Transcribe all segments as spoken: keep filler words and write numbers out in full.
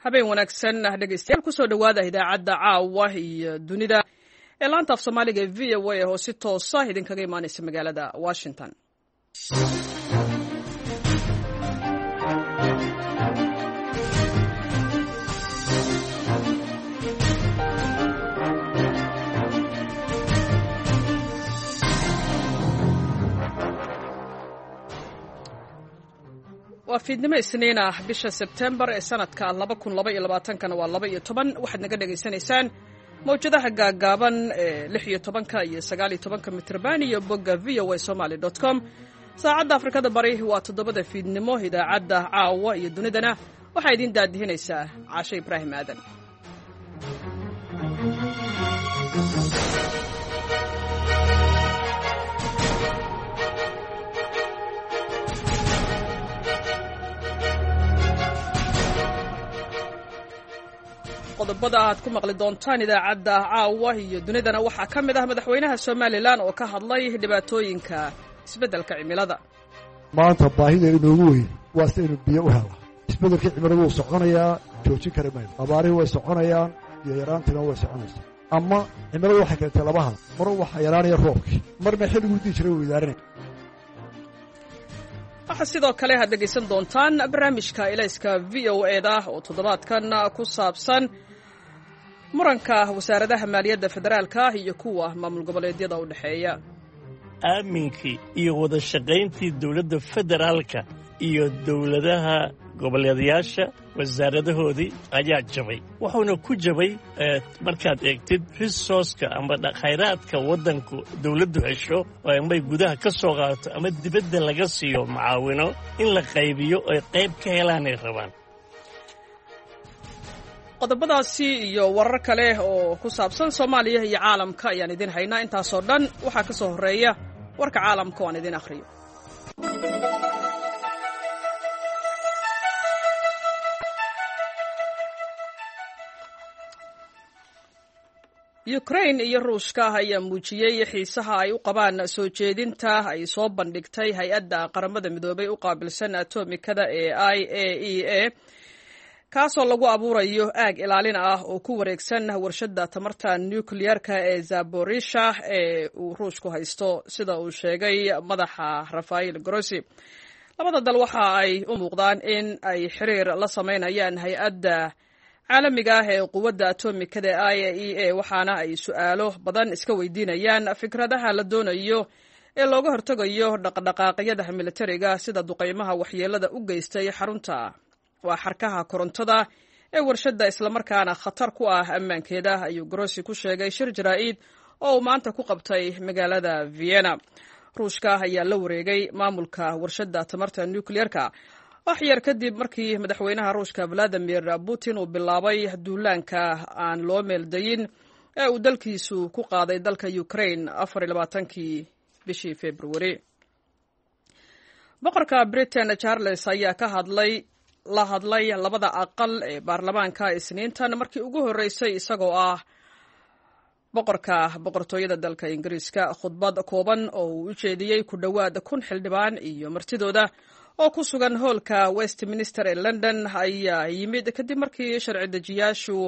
Habeen wanaagsan dhegeystayaal, kusoo dhowaada idaacadda caawa iyo dunida ee laanta af Soomaaliga ee V O A oo si toosa idinkaga imaaneysa magaalada Washington. Waa fiidnimo Isniin ah, bisha Sebtembar ee sanadka laba kun laba iyo labaatankana waa laba iyo toban. Waxaad naga dhegaysanaysaan mawjadaha gaaggaaban ee lix iyo tobanka iyo sagaal iyo tobanka mitrban iyo bogga V O A Somaly dot com. Saacadda Afrikada Bari waa toddobada fiidnimo. Idaacadda caawa iyo dunidana waxaa idiin daadihinaysaa Caashe Ibraahim Aadan. Qodobada aad ku maqli doontaan idaacadda caawa iyo dunidana waxaa ka mid ah madaxweynaha Somalilan oo ka hadlay dhibaatooyinka isbeddelka cimilada. Maanta baahida inoogu weyn waa si aynu biyo u hela. Isbeddelkii cimiladu wuu soconayaa, joojin kari mayno. Abaarihii way soconayaan, biyo yaraantiina way soconaysaa. Ama cimiladu waxay keentay labaha mar waxaa yaraanaya roobkii, marna xilliguu dii jiray wuu idaarinaya. Waxaa sidoo kale aad dhegaysan doontaan barnaamijka ilayska V O E da oo toddobaadkan ku saabsan muranka wasaaradaha maaliyadda federaalka iyo kuwa maamul goboleedyada u dhexeeya. Aaminkii iyo wada shaqayntii dowladda federaalka iyo dowladaha goboleedayaasha wasaaradahoodii ayaa jabay, wuxuuna ku jabay markaad eegtid resourceka ama khayraadka waddanku dowladdu hesho oo amay gudaha ka soo qaadato ama dibadda laga siiyo macaawino in la qaybiyo oy qayb ka helaanay rabaan. Qodobadaasi iyo warar kale oo ku saabsan Soomaaliya iyo caalamka ayaan idin haynaa. Intaasoo dhan waxaa ka soo horreeya warka caalamka oo aan idin akhriyo. Ukrain iyo Ruushka ayaa muujiyey xiisaha ay u qabaan soo jeedinta ay soo bandhigtay hay-adda Qaramada Midoobay u qaabilsan atomikada ee I A E A, kaasoo lagu abuurayo aag ilaalin ah oo ku wareegsan warshadda tamarta nukliyeerka ee Zaborisha ee uu Ruushku haysto, sida uu sheegay madaxa Rafael Grossi. Labada dal waxa ay u muuqdaan in ay xiriir la sameynayaan hay-adda caalamiga ah ee quwadda atomikada ee I A E A, waxaana ay su-aalo badan iska weydiinayaan fikradaha la doonayo ee looga hortegayo dhaqdhaqaaqyada militariga, sida duqeymaha waxyeelada u geystay xarunta waa xarkaha korontada ee warshadda, islamarkaana khatar ku ah ammaankeeda, ayuu Grossi ku sheegay shir jaraa'id oo uu maanta ku qabtay magaalada Vienna. Ruushka ayaa la wareegay maamulka warshadda tamarta nukliyeerka wax yar kadib markii madaxweynaha Ruushka Valadimir Putin uu bilaabay duulaanka aan loo meeldayin ee uu dalkiisu ku qaaday dalka Ukraine afar iyo labaatankii bishii Februari. Boqorka Britain Charles ayaa ka hadlay la hadlay labada aqal ee baarlamaanka Isniintan markii ugu horreysay isagoo ah boqorka boqortooyada dalka Ingiriiska. Khudbad kooban oo uu u jeediyey ku dhowaad kun xildhibaan iyo martidooda oo ku sugan hoolka Westminster ee London ayaa yimid kadib markii sharci dejiyaashu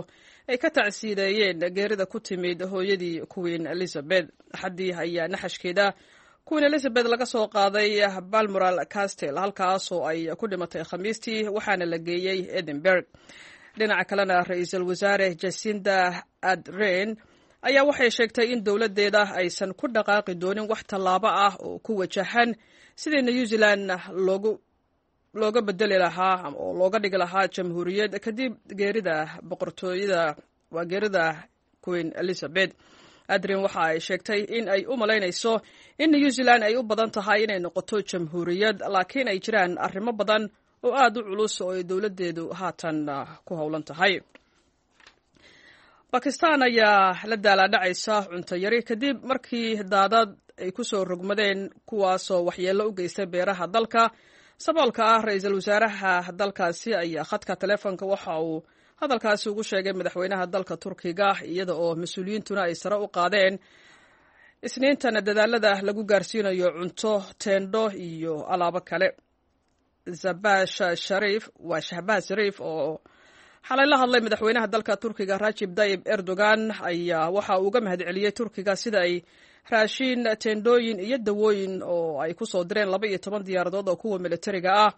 ay ka tacsiideeyeen geerida ku timid hooyadii Queen Elizabeth. Axaddii ayaa naxashkeeda Queen Elizabeth laga soo qaaday Balmoral Castle, halkaasoo ay ku dhimatay Khamiistii, waxaana la geeyey Edinburgh. Dhinaca kalena, ra-iisul wasaare Jacinda Ardern ayaa waxay sheegtay in dowladdeeda aysan ku dhaqaaqi doonin wax tallaabo ah oo ku wajahan sidii New Zealand loogu looga bedeli lahaa oo looga dhigi lahaa jamhuuriyad kadib geerida boqortooyada, waa geerida Queen Elizabeth. Ardern waxa ay sheegtay in ay u malaynayso in New Zealand ay u badan tahay inay noqoto jamhuuriyad, laakiin ay jiraan arrimo badan oo aada u culus oo ay dowladdeedu haatan ku howlan tahay. Bakistan ayaa la daalaadhacaysa cunto yari kadib markii daadad ay ku soo rogmadeen, kuwaasoo waxyeello u geystay beeraha dalka saboolka ah. Ra-iisul wasaaraha dalkaasi ayaa khadka taleefonka waxa uu hadalkaasi ugu sheegay madaxweynaha dalka Turkiga, iyada oo mas-uuliyiintuna ay sare u qaadeen Isniintana dadaalada lagu gaarsiinayo cunto, teendho iyo alaabo kale. Zabash Shariif waa Shahbaaz Shariif oo xalay la hadlay madaxweynaha dalka Turkiga Rajib Tayyib Erdogan ayaa waxa uu uga mahadceliyey Turkiga sida ay raashiin, teendhooyin iyo dawooyin oo ay ku soo direen laba iyo toban diyaaradood oo kuwa militariga ah,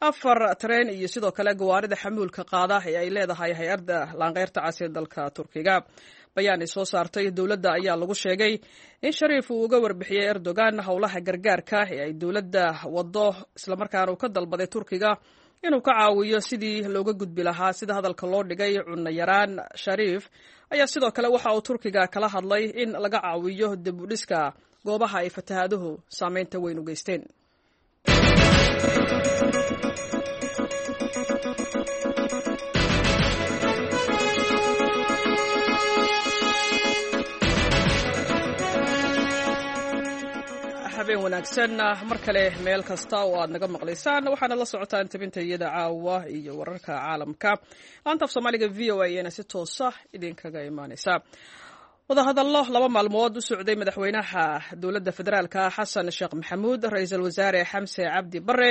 afar tareen iyo sidoo kale gawaarida xamuulka qaada ee ay leedahay hay-adda laanqeyrta cas ee dalka Turkiga. Bayaan ay soo saartay dowladda ayaa lagu sheegay in Shariif uu uga warbixiyey Erdogan howlaha gargaarka ee ay dowladda waddo, islamarkaana uu ka dalbaday Turkiga inuu ka caawiyo sidii looga gudbi lahaa sida hadalka loo dhigay cunno yaraan. Shariif ayaa sidoo kale waxa uu Turkiga kala hadlay in laga caawiyo dib u dhiska goobaha ay fatahaaduhu saameynta weyn u geysteen. Habeen wanaagsan mar kale meel kasta oo aad naga maqlaysaan, waxaana la socotaan tabinta iyada caawa iyo wararka caalamka. Laanta af Soomaaliga V O A ayaana si toosa idinkaga imaaneysa. Wadahadallo laba maalmood u socday madaxweynaha dowladda federaalka Xasan Sheekh Maxamuud, ra-iisul wasaare Xamse Cabdi Bare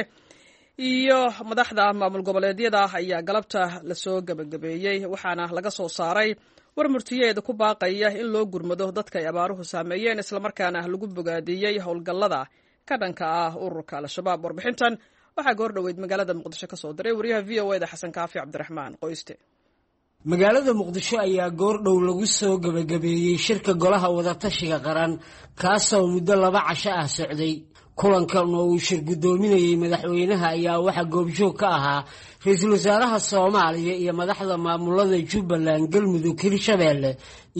iyo madaxda maamul goboleedyada ayaa galabta lasoo gebagabeeyey, waxaana laga soo saaray war murtiyeed ku baaqaya in loo gurmado dadka ay abaaruhu saameeyeen, islamarkaana lagu bogaadiyey howlgallada ka dhanka ah ururka Al-Shabaab. Warbixintan waxaa goor dhoweyd magaalada Muqdisho ka soo diray wariyaha V O E da Xasan Kaafi Cabdiraxmaan Qoyste. Magaalada Muqdisho ayaa goordhow lagu soo gebagabeeyey shirka golaha wadatashiga qaran, kaasoo muddo laba casho ah socday. Kulankan oo uu shir guddoominayey madaxweynaha ayaa waxaa goobjoog ka ahaa ra-iisul wasaaraha Soomaaliya iyo madaxda maamulada Jubbaland, Galmudug, Hirshabeelle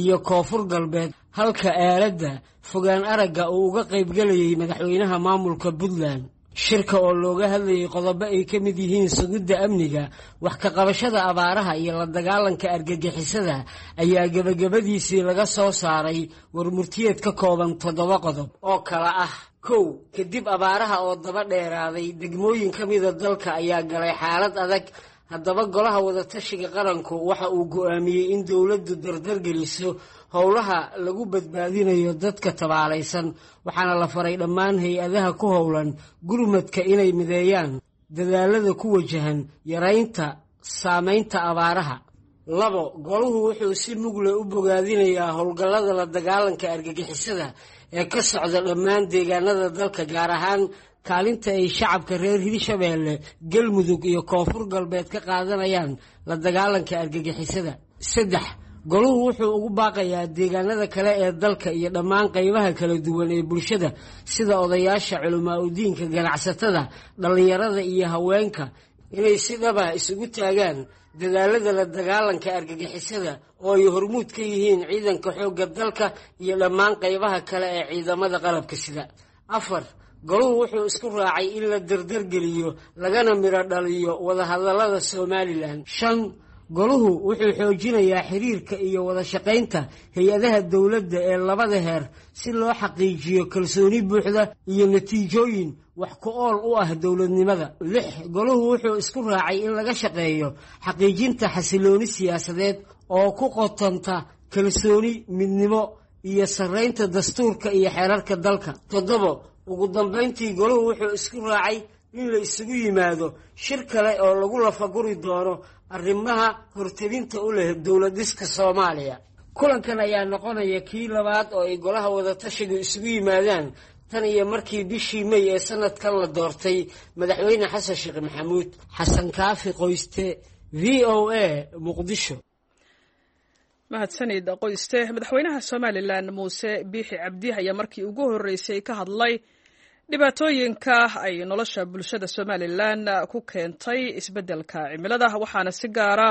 iyo Koonfur Galbeed, halka aaladda fogaan aragga uu uga qaybgelayay madaxweynaha maamulka Puntland. Shirka oo looga hadlayay qodobo ay ka mid yihiin sugidda amniga, wax ka qabashada abaaraha iyo la dagaalanka argagixisada ayaa gebagabadiisii laga soo saaray warmurtiyeed ka kooban toddoba qodob oo kala ah: kow, kadib abaaraha oo daba dheeraaday degmooyin ka mida dalka ayaa galay xaalad adag. Haddaba golaha wadatashiga qaranku waxa uu go'aamiyey in dowladdu dardargeliso howlaha lagu badbaadinayo dadka tabaalaysan, waxaana la faray dhammaan hay-adaha ku howlan gurmadka inay mideeyaan dadaalada ku wajahan yaraynta saameynta abaaraha. Labo, goluhu wuxuu si mugle u bogaadinayaa howlgallada la dagaalanka argagixisada ee ka socda dhammaan deegaanada dalka, gaar ahaan kaalinta ay shacabka reer Hirshabeelle, Galmudug iyo Koonfur Galbeed ka qaadanayaan la dagaalanka argagixisada. Saddex, goluhu wuxuu ugu baaqayaa deegaanada kale ee dalka iyo dhammaan qaybaha kala duwan ee bulshada sida odayaasha, culamaa udiinka, ganacsatada, dhallinyarada iyo haweenka inay si dhaba isugu taagaan dadaalada la dagaalanka argagixisada oo ay hormuud ka yihiin ciidanka xoogga dalka iyo dhammaan qaybaha kale ee ciidamada qalabka sida. Afar, goluhu wuxuu isku raacay in la dardargeliyo lagana midho dhaliyo wadahadallada Somalilan. Shan, goluhu wuxuu xoojinayaa xiriirka iyo wada shaqaynta hay-adaha dowladda ee labada heer si loo xaqiijiyo kalsooni buuxda iyo natiijooyin wax ku ool u ah dowladnimada. Lix, goluhu wuxuu isku raacay in laga shaqeeyo xaqiijinta xasilooni siyaasadeed oo ku qotanta kalsooni, midnimo iyo sarreynta dastuurka iyo xeerarka dalka. Toddobo, ugu dambayntii goluhu wuxuu isku raacay in la isugu yimaado shir kale oo lagu lafaguri doono arrimaha hortebinta u leh dowlad dhiska Soomaaliya. Kulankan ayaa noqonaya kii labaad oo ay golaha wadatashigu isugu yimaadaan tan iyo markii bishii May ee sanadkan la doortay madaxweyne Xasan Sheekh Maxamuud. Xasan Kaafi Qoyste, V O A, Muqdisho. Mahadsanid Qoyste. Madaxweynaha Somalilan Muuse Biixi Cabdi ayaa markii ugu horreysay ka hadlay dhibaatooyinka ay nolosha bulshada Somalilan ku keentay isbeddelka cimilada, waxaana si gaara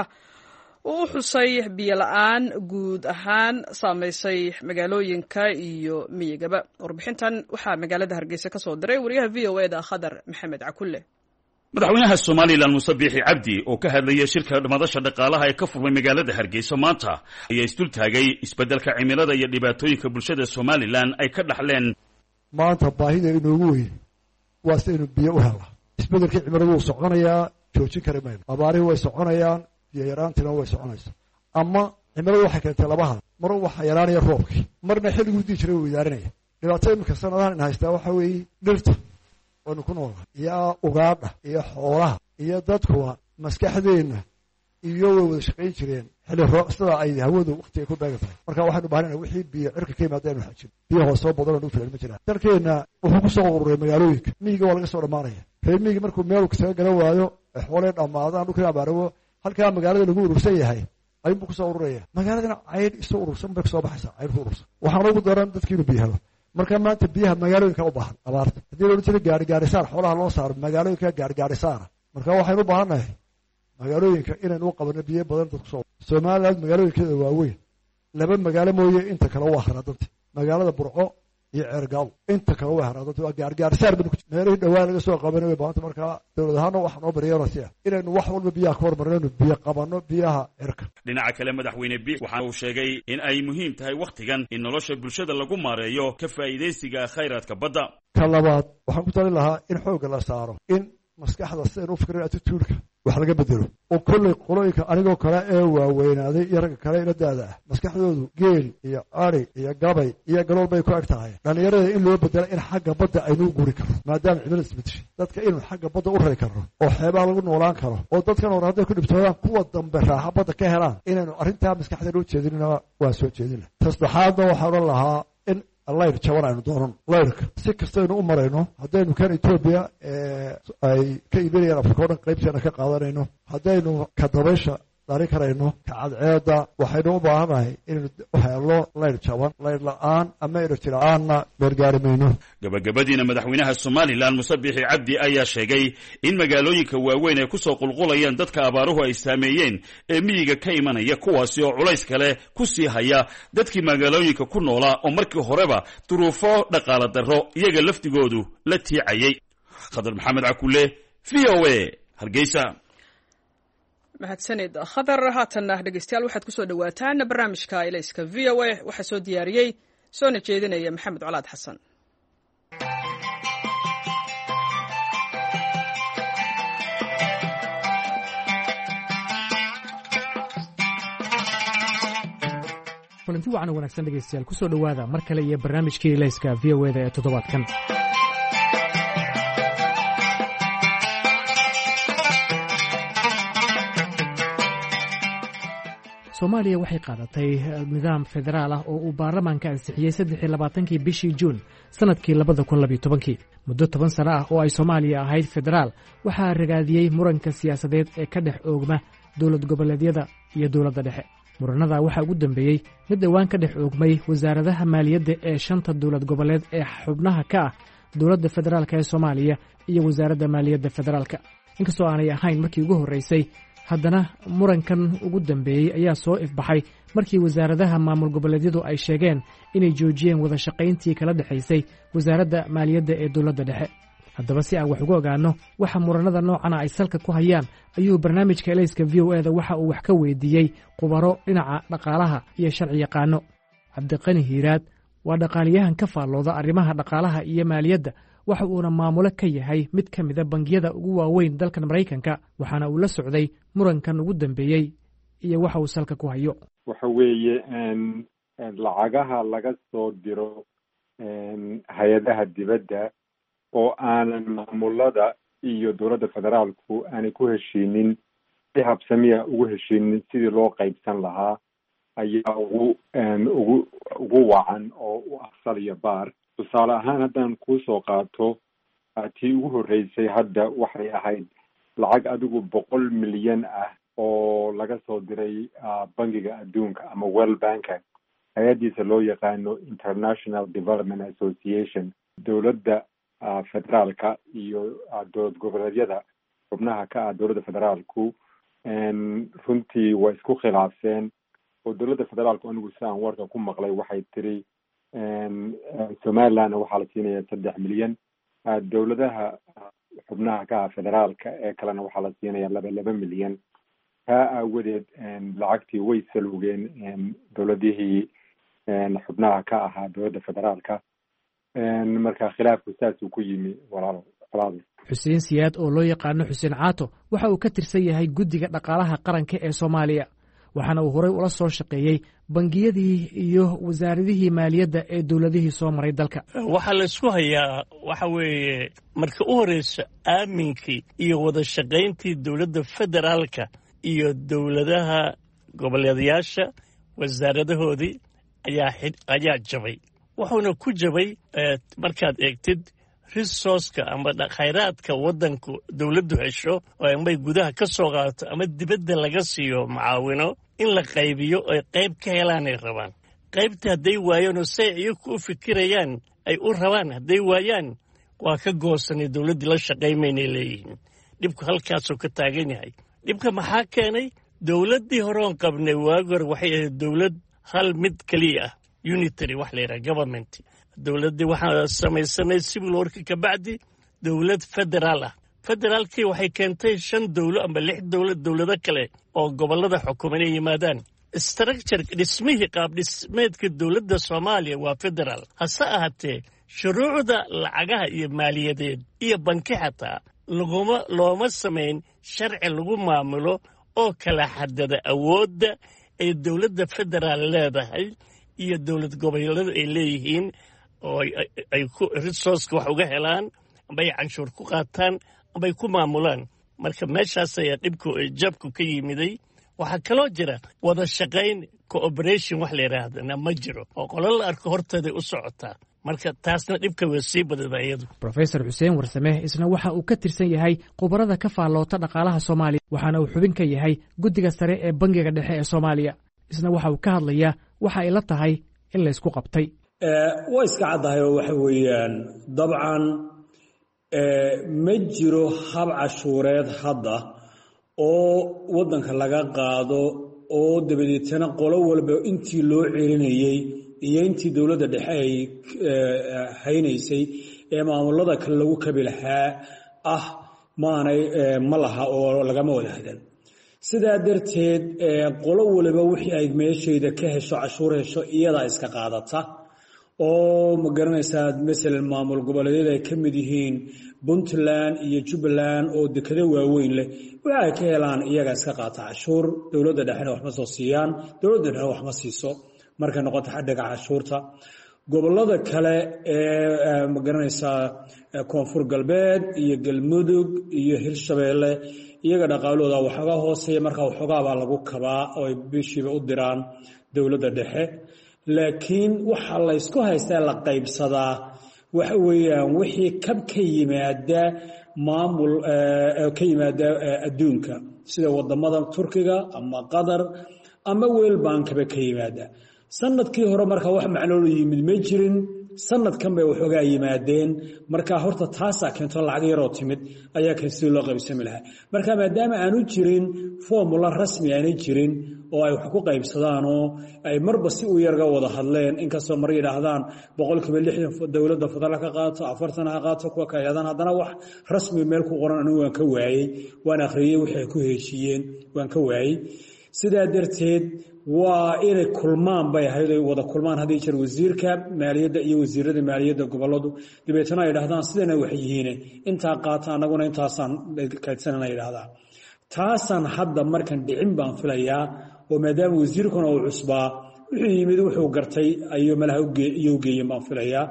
uu u xusay biyo la-aan guud ahaan saameysay magaalooyinka iyo miyigaba. Warbixintan waxaa magaalada Hargeysa ka soo diray wariyaha V O E da Khadar Maxamed Cakulle. Madaxweynaha Somalilan Muuse Biixi Cabdi oo ka hadlaya shirka madasha dhaqaalaha ee ka furmay magaalada Hargeysa maanta ayaa isdultaagay isbeddelka cimilada iyo dhibaatooyinka bulshada Somalilan ay ka dhaxleen. Maanta baahida inoogu weyn waa si aynu biyo u helaa. Isbeddelkii cimiladu wuu soconayaa, joojin kari mayno. Abaarihii way soconayaan, biyo yaraantiina way soconaysaa. Ama cimiladu waxay keentay labaha mar, waxaa yaraanaya roobkii, marna xilliguu dii jiray wuu idaarinaya. Dhibaato iminka sanadahan in haystaa waxaa weeye dhirta waynu ku noolnahay iyo ugaadha iyo xoolaha iyo dadkuwa maskaxdeenna Iyo way wada shaqayn jireen xilli roo sida ay hawadu waqtiga ku beegan tahay. Marka waxaynu baahanayna wixii biyo cirka ka yimaada inu xajin, biyo hoosoo badan oo filan ma jiraan. Dalkeenna wuxuu ku soo ururay magaalooyinka, miyiga waa laga soo dhammaanaya. Reer miyiga markuu meel kasaga garan waayo, xoolee dhammaadaan, dhulkii abaarawo, halkaa magaalada lagu urursan yahay ayuunbuu kusoo ururaya. Magaaladana caydh isu urursan bay kusoo baxaysaa, caydh ku urursan. Waxaana ugu daran dadkii inuu biyo helo. Marka maanta biyaha magaalooyinka u baahan abaarta, haddii la odhan jiray gaari gaarisaar xoolaha loo saaro, magaalooyinka gaari gaarisaara. Marka waxaynu u baahannahay magaalooyinka inaynu u qabano biyo badan dadku soo. Somaliland magaalooyinkeeda waaweyn laba magaalo mooye inta kale waa haraadanta, magaalada Burco iyo Ceergaabo, inta kale waa haraadanta, waa gaargaarsaar baynu ku meelihii dhawaan laga soo qabanay way baahanta. Markaa dowlad ahaana waxaa noo baryeelasi ah inaynu wax walba biyaha ka hormarnaynu biyo qabanno biyaha cirka. Dhinaca kale, madaxweyne Biix waxa uu sheegay in ay muhiim tahay wakhtigan in nolosha bulshada lagu maareeyo ka faa'iidaysiga khayraadka badda. Ka labaad, waxaan ku talin lahaa in xoogga la saaro in maskaxda sidaynu u fikrin attitude-ka wax laga bedelo, oo kolley qolooyinka anigoo kale ee waaweynaaday iyo ragga kale ila daada ah maskaxdoodu geel iyo ari iyo gabay iyo galool bay ku eg tahay. Dhallinyarada in loo bedelo in xagga badda aynuu guri karno, maadaama cimilada isbedeshay, dadka inuu xagga badda u rari karno oo xeebaha lagu noolaan karo, oo dadkan hore hadday ku dhibtoodaan kuwa dambe raaxa badda ka helaan, inaynu arrintaa maskaxda loo jeedinna waan soo jeedinla. Tasaddexaadna waxaan odhan lahaa in layr jaban aynu doonan, layrka si kastaynu u marayno, haddaynu kan Etoobiya ay ka iibinayaan Afrika o dhan qaybteena ka qaadanayno, haddaynu ka dabaysha dhali karayno, ka cadceedda, waxaynu u baahannahay inaynu helno layr jaban. Layr la-aan ama enerji la-aanna meergaari mayno. Gabagabadiina, madaxweynaha Somalilan Muse Biixi Cabdi ayaa sheegay in magaalooyinka waaweyn ay kusoo qulqulayaan dadka abaaruhu ay saameeyeen ee miyiga ka imanaya, kuwaasi oo culays kale ku sii haya dadkii magaalooyinka ku noolaa oo markii horeba duruufo dhaqaala darro iyaga lafdigoodu la tiicayay. Khadar Maxamed Cakule, V O A, Hargeysa. Mahadsanid, Khadar. Haatanna dhegeystayaal, waxaad kusoo dhowaataan barnaamijka Ilayska V O A. Waxaa soo diyaariyey soona jeedinaya Maxamed Colaad Xasan. Kulanti wacan oo wanaagsan dhegeystayaal, kusoo dhowaada mar kale iyo barnaamijkii Ilayska V O eda ee toddobaadkan. Soomaaliya waxay qaadatay nidaam federaal ah oo uu baarlamaanka ansixiyey saddex iyo labaatankii bishii Juun sanadkii labada kun labiyo tobankii. Muddo toban sano ah oo ay Soomaaliya ahayd federaal, waxaa ragaadiyey muranka siyaasadeed ee ka dhex oogma dowlad goboleedyada iyo dowladda dhexe. Muranada waxaa ugu dambeeyey mid dhowaan ka dhex oogmay wasaaradaha maaliyadda ee shanta dowlad goboleed ee xubnaha ka ah dowladda federaalk ee Soomaaliya iyo wasaaradda maaliyadda federaalka. Inkastoo aanay ahayn markii ugu horreysay, haddana murankan ugu dambeeyey ayaa soo ifbaxay markii wasaaradaha maamul goboleedyadu ay sheegeen inay joojiyeen wada shaqayntii kala dhexaysay wasaaradda maaliyadda ee dowladda dhexe. Haddaba, si aan wax ugu ogaanno waxa muranada noocana ay salka ku hayaan, ayuu barnaamijka Elayska V O eda waxa uu wax ka weydiiyey khubaro dhinaca dhaqaalaha iyo sharci yaqaano. Cabdiqani Hiiraad waa dhaqaaliyahan ka faallooda arrimaha dhaqaalaha iyo maaliyadda, waxa uuna maamulo ka yahay mid ka mida bangiyada ugu waaweyn dalkan Maraykanka, waxaana uu la socday murankan ugu dambeeyey iyo waxa uu salka ku hayo. Waxa weeye lacagaha laga soo diro hay-adaha dibadda oo aanan maamulada iyo dowladda federaalku aanay ku heshiinin, si habsamiya ugu heshiinin sidii loo qaybsan lahaa, ayaa ugu ugu ugu wacan oo u afsal iyo baar. Tusaale ahaan, haddaan kuusoo qaato tii ugu horreysay, hadda waxay ahayd lacag adigu boqol milyan ah oo laga soo diray Bangiga Adduunka ama World Banka, hay-addiisa loo yaqaano International Development Association. Dowladda federaalka iyo dowlad goboleedyada xubnaha ka ah dowladda federaalku runtii waa isku khilaafseen, oo dowladda federaalku, anigu si aan warka ku maqlay, waxay tiri Somalilandna waxaa la siinaya saddex milyan, dowladaha xubnaha ka ah federaalka ee kalena waxaa la siinaya laba laba milyan. Taa aawadeed lacagtii way salugeen dowladihii xubnaha ka ahaa dowladda federaalka. Marka khilaafku saasuu ku yimi, walaalo walaal. Xuseen Siyaad oo loo yaqaano Xuseen Caato waxa uu ka tirsan yahay guddiga dhaqaalaha qaranka ee Soomaaliya, waxaana uu horey ula soo shaqeeyey bangiyadii iyo wasaaradihii maaliyadda ee dowladihii soo maray dalka. Waxaa la isku hayaa waxa weeye, marka u horreysa, aaminkii iyo wada shaqayntii dowladda federaalka iyo dowladaha goboleedayaasha wasaaradahoodii ayaa ayaa jabay. Wuxuuna ku jabay, markaad eegtid resource-ka ama khayraadka waddanku dowladdu hesho oo amay gudaha ka soo qaadato ama dibadda laga siiyo mucaawino, in la qaybiyo oy qayb ka helaanay rabaan. Qaybta hadday waayaan oo say iyaku u fikirayaan ay u rabaan hadday waayaan, waa ka goosanay, dowladdii la shaqaymaynay leeyihiin. Dhibku halkaasuu ka taagan yahay. Dhibka maxaa keenay? Dowladdii hore oon qabnay waagi hore waxay ahayd dowlad hal mid keliya ah, unitary wax la yidhaha government. Dowladdii waxaa samaysanay civil war-ki ka bacdi dowlad federaal ah. Federaalkii waxay keentay shan dowlo ama lix dowlad, dowlado kale oo gobollada xukuma inay yimaadaan. Structure, dhismihii, qaab dhismeedka dowladda Soomaaliya waa federaal. Hase ahaatee, shuruucda lacagaha iyo maaliyadeed iyo banki xataa laguma looma samayn sharci lagu maamulo oo kala xadada awoodda ay dowladda federaal leedahay iyo dowlad goboleedyada ay leeyihiin oo ay ku resource-ka wax uga helaan amba ay canshuur ku qaataan amba ay ku maamulaan. Marka meeshaas ayaa dhibku, jabku ka yimiday. Waxaa kaloo jira wada shaqayn, cooperation wax la yidhaahdana ma jiro, oo qolo la arko horteeday u socotaa. Marka taasna dhibka way sii badada iyadu. Profesor Xuseen Warsame isna waxa uu ka tirsan yahay khubarada ka faalloota dhaqaalaha Soomaaliya, waxaana uu xubin ka yahay guddiga sare ee Bangiga Dhexe ee Soomaaliya. Isna waxa uu ka hadlayaa waxa ay la tahay in laysku qabtay. Waa iska caddahay oo waxa weeyaan, dabcan ma jiro hab cashuureed hadda oo waddanka laga qaado oo dabadeetana qolo walba intii loo celinayey iyo intii dowladda dhexe ay haynaysay ee maamulada kale lagu kabi lahaa ah maanay ma laha oo lagama wada hadan. Sidaa darteed, qolo waliba wixii ay meeshayda ka hesho, cashuur hesho, iyadaa iska qaadata. Oo ma garanaysaa, masalan maamul goboleedyada ay ka mid yihiin Puntland iyo Jubbaland oo dekado waaweyn leh, waxa ay ka helaan iyagaa iska qaata cashuur, dowladda dhexena waxma soo siiyaan, dowladda dhexena waxma siiso markay noqoto xadhiga cashuurta. Gobolada kale ee ma garanaysaa, Koonfur Galbeed iyo Galmudug iyo Hirshabeelle, iyaga dhaqaalooda waxoogaa hooseeya, markaa waxoogaabaa lagu kabaa oo ay bishiiba u diraan dowladda dhexe. Laakiin waxa laysku haystaa, la qaybsadaa, waxa weeyaan wixii kab ka yimaada maamul ka yimaada adduunka, sida wadamada Turkiga ama Qatar ama World Bank-aba ka yimaada. Sanadkii hore marka wax macnoolo yimid ma jirin, sanadkan bay waxoogaa yimaadeen. Marka horta taasaa keento, lacag yaroo timid ayaa keen sidii loo qaybsami lahaa. Marka maadaama aanu jirin formula rasmi aanay jirin oo ay wax ku qaybsadaan oo ay marba si u yarga wada hadleen, inkastoo mar yidhaahdaan boqolkiiba lixdan dowladda federaal ka qaato, afartan ha qaato kuwa ka yidhahdaan, haddana wax rasmi meel ku qoran anigu waan ka waayey. Waan akhriyey wixii ay ku heshiiyeen, waan ka waayey. Sidaa darteed waa inay kulmaan bay ahayd, ay wada kulmaan haddii jeer wasiirka maaliyadda iyo wasiirada maaliyadda goboladu, dabeetana ay yidhahdaan sidana wax yihiine intaa qaata, annaguna intaasaan kaydsanana yidhahdaan. Taasaan hadda markan dhicin baan filayaa, oo maadaama wasiirkuna uu cusbaa, wuxuu yimid wuxuu gartay ayuu malaha iyo ugeeyeen baan filayaa.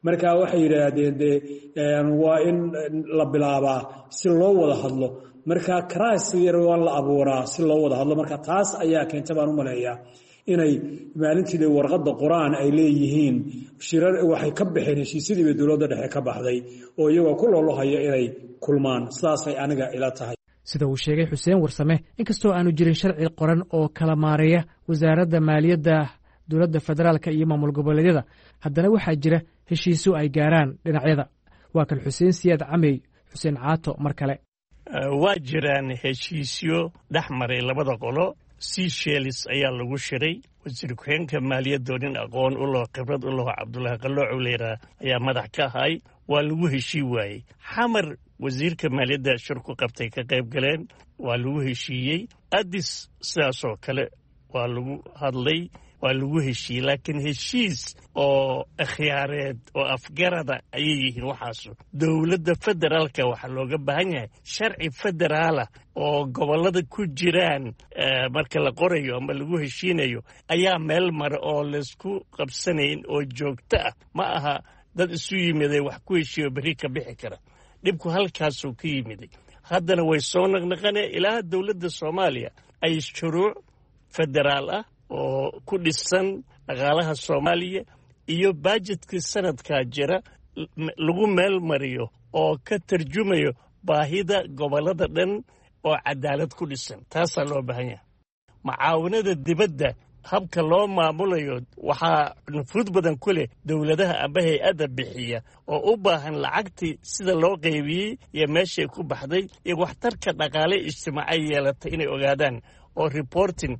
Marka waxay yidhaahdeen dee waa in la bilaabaa si loo wada hadlo, marka crisis yar waa la abuuraa si loo wada hadlo. Marka taas ayaa keenta baan u maleeyaa inay maalintii warqadda qoraan ay leeyihiin shirar waxay ka baxeen heshiisyadii bay dowladda dhexe ka baxday, oo iyagoo ku loolohaya inay kulmaan. Sidaasay aniga ila tahay. Sida uu sheegay Xuseen Warsame, inkastoo aanu jirin sharci qoran oo kala maareeya wasaaradda maaliyadda dowladda federaalka iyo maamul goboleedyada, haddana waxaa jira heshiisyo ay gaaraan dhinacyada. Waa kan Xuseen Siyaad Camey, Xuseen Caato, mar kale. Waa jiraan heshiisyo dhex maray labada qolo. Seychelles ayaa lagu shiray. Wasiir ku-xigeenka maaliyadoo nin aqoon u laho, khibrad u laho, Cabdullaahi Qaloocow la yidhaha, ayaa madax ka ahay. Waa lagu heshii waayey. Xamar wasiirka maaliyadda shir ku qabtay, ka qayb galeen, waa lagu heshiiyey. Addis sidaasoo kale waa lagu hadlay, waa lagu heshiiyey. Laakiin heshiis oo akhyaareed oo afgarada ayay yihiin waxaasu. Dowladda federaalka waxaa looga baahan yahay sharci federaala oo gobollada ku jiraan marka la qorayo ama lagu heshiinayo ayaa meel mara oo laysku qabsanayn oo joogto ah. Ma aha dad isu yimiday wax ku heshiiyo berri ka bixi kara. Dhibku halkaasuu ka yimiday. Haddana way soo naqnaqanee ilaa dowladda Soomaaliya ay shuruuc federaal ah oo ku dhisan dhaqaalaha Soomaaliya iyo bajetkii sanadkaa jira lagu meel mariyo oo ka tarjumayo baahida gobollada dhan oo cadaalad ku dhisan. Taasaa loo baahan yahay. Macaawinada dibadda habka loo maamulayo waxaa nufuud badan ku leh dowladaha amba hay-adda bixiya oo u baahan lacagtii sida loo qaybiyey iyo meeshay ku baxday iyo waxtarka dhaqaale ijtimaacay yeelatay inay ogaadaan, oo reporting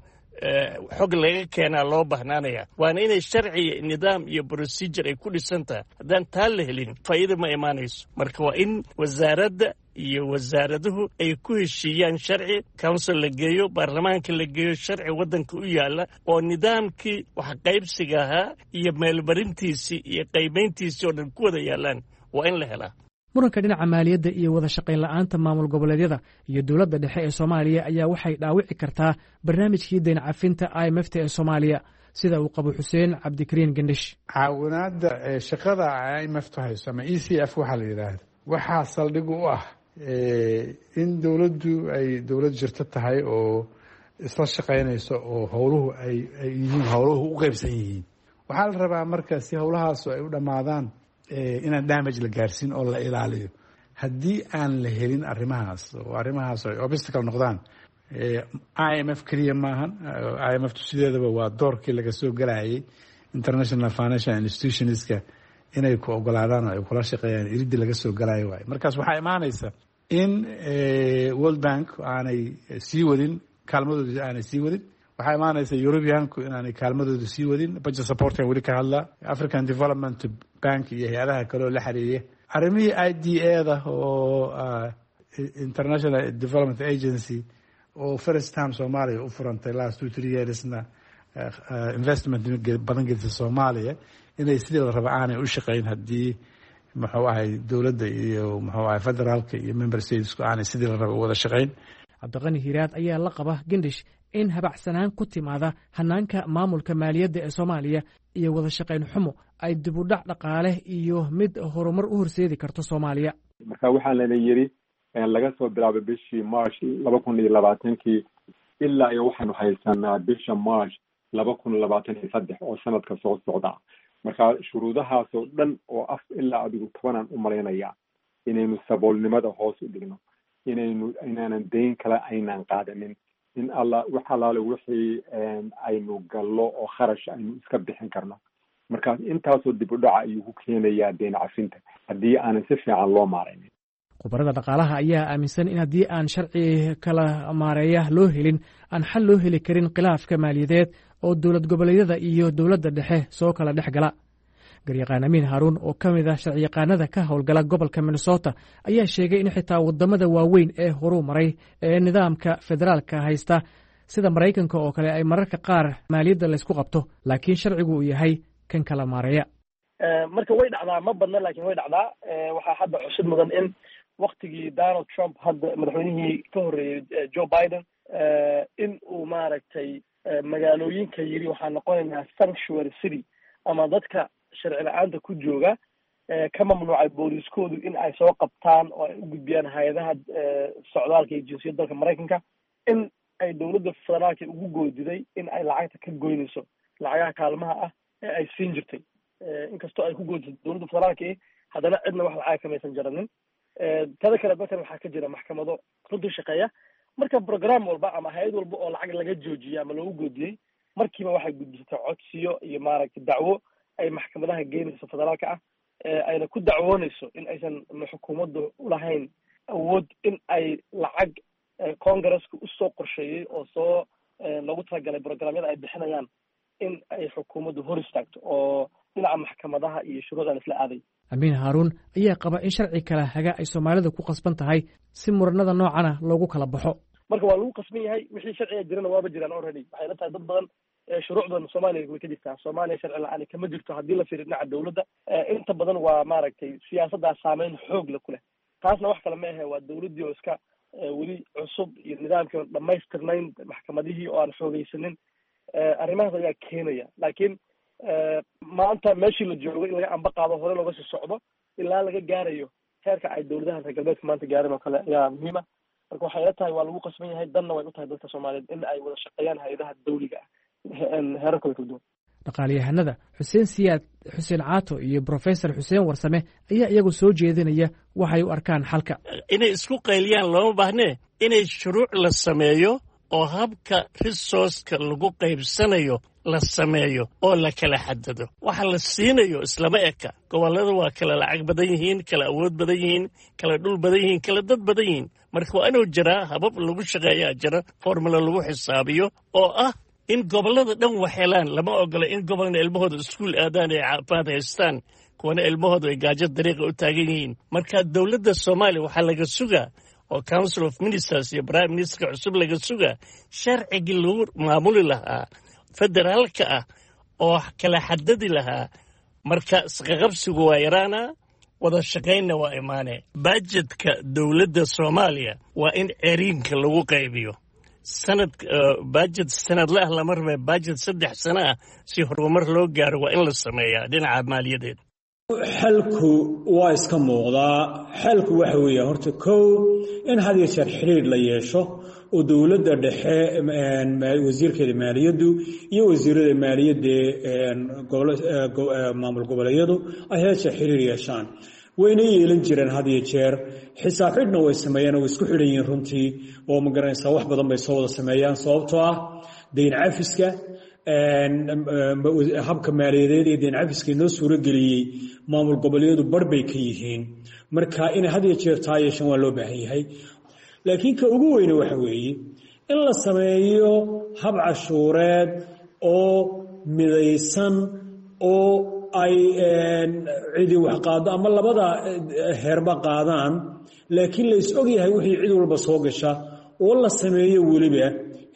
xog laga keenaa loo bahnaanaya. Waana inay sharci, nidaam iyo procedure ay ku dhisan tahay. Haddaan taa la helin, faa'iida ma imaanayso. Marka waa in wasaaradda iyo wasaaraduhu ay ku heshiiyaan sharci, council la geeyo, baarlamaanka la geeyo, sharci waddanka u yaalla oo nidaamkii wax qaybsiga ahaa iyo meelmarintiisii iyo qaybayntiisii oo dhan ku wada yaallaan waa in la helaa. Muranka dhinaca maaliyadda iyo wada shaqayn la'aanta maamul goboleedyada iyo dowladda dhexe ee Soomaaliya ayaa waxay dhaawici kartaa barnaamijkii dayn cafinta I M F ta ee Soomaaliya, sida uu qabo Xuseen Cabdikariin Gendhish. Caawinaadda shaqada I M F tu hayso ama E C F waxaa la yidhaahda waxaa saldhig u ah in dowladdu ay dowlad jirto tahay oo isla shaqaynayso oo howluhu ay ay yihiin howluhu u qeybsan yihiin. Waxaa la rabaa marka si howlahaas ay u dhammaadaan inaan damage la gaarsiin oo la ilaaliyo. Haddii aan la helin arrimahaas oo arrimahaas ay obstacle noqdaan, I M F keliya maahan. I M F tu sideedaba waa doorkii laga soo galayay international financial institutionska inay ku ogolaadaan oo ay kula shaqeeyaan, iridii laga soo galayo waayo. Markaas waxaa imaanaysa in World Bank aanay sii wadin kaalmadooda, aanay sii wadin. Waxaa imaanaysa Europeanku inaanay kaalmadooda sii wadin, budget supportkan weli ka hadlaa, African Development Bank iyo hay-adaha kale oo la xiriiriya arrimihii I D A da oo International Development Agency oo first time Soomaaliya u furantay last two three yearsna investment badan gelisa Soomaaliya, inay sidii la raba aanay u shaqeyn haddii muxuu ahay dowladda iyo muxuu ahay federaalka iyo member statesku aanay sidii la raba u wada shaqeyn. Cabdiqani Hiiraad ayaa la qaba Gendhish in habacsanaan ku timaada hanaanka maamulka maaliyadda ee Soomaaliya iyo wada shaqayn xumo ay dib u dhac dhaqaale iyo mid horumar u horseedi karto Soomaaliya. Marka waxaa lana yidhi laga soo bilaabay bishii March laba kun iyo labaatankii ilaa iyo waxaanu haysanaa bisha March laba kun labaatan iyo saddex oo sanadka soo socda. Marka shuruudahaasoo dhan oo af ilaa adigu tobanaan u malaynayaa inaynu saboolnimada hoos u dhigno, inaynu inaanan dayn kale aynaan qaadanin, in alla wax allaale wixii aynu gallo oo kharash aynu iska bixin karno. Markaas intaasoo dib u dhaca ayuu ku keenayaa deyn cafinta haddii aanan si fiican loo maaraynin. Khubarada dhaqaalaha ayaa aaminsan in haddii aan sharci kala maareeya loo helin, aan xal loo heli karin khilaafka maaliyadeed oo dowlad goboleedyada iyo dowladda dhexe soo kala dhex gala. Garyaqaan Amiin Haaruun oo ka mid ah sharciyaqaanada ka howlgala gobolka Minnesota ayaa sheegay in xitaa wadamada waaweyn ee horuu maray ee nidaamka federaalka haysta sida Maraykanka oo kale ay mararka qaar maaliyadda laysku qabto, laakiin sharcigu uu yahay kan kala maareeya. Marka way dhacdaa, ma badna laakiin way dhacdaa. Waxaa hadda xusid mudan in waktigii Donald Trump, hadda madaxweynihii ka horreeyey Joe Biden, in uu maaragtay magaalooyinka yiri waxaa noqonaynaa sanctuary city ama dadka sharci la-aanta ku jooga ka mamnuucay booliiskoodu in ay soo qabtaan oo ay u gudbiyaan hay-adaha socdaalka iyo jinsiyadda dalka Maraykanka, in ay dowladda federaalka ugu goodiday in ay lacagta ka goynayso lacagaha kaalmaha ah ee ay siin jirtay. Inkastoo ay ku goodisay dowladda federaalka, haddana cidna wax lacaga kamaysan jaranin. Tada kale, dalkan waxaa ka jira maxkamado runtii shaqeeya. Marka program walba ama hay-ad walba oo lacag laga joojiyay ama loogu goodiyey, markiiba waxay gudbisatay codsiyo iyo maaragtay dacwo ay maxkamadaha geynayso federaalka ah, ayna ku dacwoonayso in aysan xukuumaddu ulahayn awood in ay lacag congresska usoo qorsheeyey oo soo loogu talagalay programyada ay bixinayaan in ay xukuumaddu hor istaagto, oo dhinaca maxkamadaha iyo shuruucdan isla aaday. Amiin Haaruun ayaa qaba in sharci kala haga ay Soomaalidu ku qasban tahay si muranada noocana loogu kala baxo. Marka waa lagu qasban yahay, wixii sharciga jirana waaba jiraan already. Waxay la tahay dad badan shuruucdan Soomaaliya way ka jirtaa. Soomaaliya sharci la-aan kama jirto haddii la fiiriyo dhinaca dowladda. Inta badan waa maaragtay siyaasaddaa saameyn xoog la ku leh. Taasna wax kale ma ahe, waa dowladdii oo iska weli cusub iyo nidaamkii oon dhamaystirnayn, maxkamadihii oo aan xoogeysanin. Arrimahaas ayaa keenaya. Laakiin maanta meeshii la joogo in laga amba qaado, hore looga sii socdo ilaa laga gaarayo Heerka ay dowladaha reer galbeedka maanta gaareen oo kale ayaa muhiima. Marka waxay ila tahay waa lagu qasban yahay, danna way u tahay dadka Soomaaliyeed in ay wada shaqeeyaan hay-adaha dawliga ah heerarkooda kala duwan. Dhaqaalayahanada Xuseen Siyaad Xuseen Caato iyo Brofesor Xuseen Warsame ayaa iyagu soo jeedinaya waxay u arkaan xalka. Inay isku qayliyaan looma baahnee, inay shuruuc la sameeyo oo habka resourceka lagu qaybsanayo la sameeyo oo la kala xadado. Waxa la siinayo islama eka. Gobollada waa kala lacag badan yihiin, kala awood badan yihiin, kala dhul badan yihiin, kala dad badan yihiin. Marka waa inuu jiraa habab lagu shaqeeyaa jira, formula lagu xisaabiyo oo ah in gobollada dhan wax helaan. Lama ogola in gobolna ilmahooda iskuul aadaan ay caafimaad haystaan, kuwana ilmahooda ay gaajo dariiqa u taagan yihiin. Marka dowladda Soomaaliya waxaa laga sugaa oo Council of Ministers iyo Prime Ministerka cusub laga sugaa sharcigii lagu maamuli lahaa federaalka ah oo kala xadadi lahaa. Marka isqaqabsigu waa yaraana, wada shaqaynna waa imaanee. Bajedka dowladda Soomaaliya waa in ceriinka lagu qaybiyo. Sanad bajet sanadle ah lama rabe, bajet saddex sano ah si horumar loo gaaro waa in la sameeyaa dhinaca maaliyadeed. Xalku waa iska muuqdaa. Xalku waxa weeye horta kow in had iyo jeer xiriir la yeesho oo dowladda dhexe wasiirkeeda maaliyaddu iyo wasiirada maaliyadda maamul goboleedyadu ay had jeer xiriir yeeshaan. Wayna yeelan jireen had iyo jeer, xisaab xidhna way sameeyaan oo way isku xidhan yihiin runtii, oo ma garanaysaa wax badan bay soo wada sameeyaan, sababtoo ah deyn cafiska, habka maaliyadeed ee deyn cafiska inoo suurageliyey maamul goboleedyadu bar bay ka yihiin. Marka inay had iyo jeer taa yeeshaan waa loo baahan yahay. Laakiin ka ugu weyne waxa weeye in la sameeyo hab cashuureed oo midaysan oo ay cidi wax qaado ama labada heerba qaadaan, laakiin la is og yahay wixii cid walba soo gasha, oo la sameeyo weliba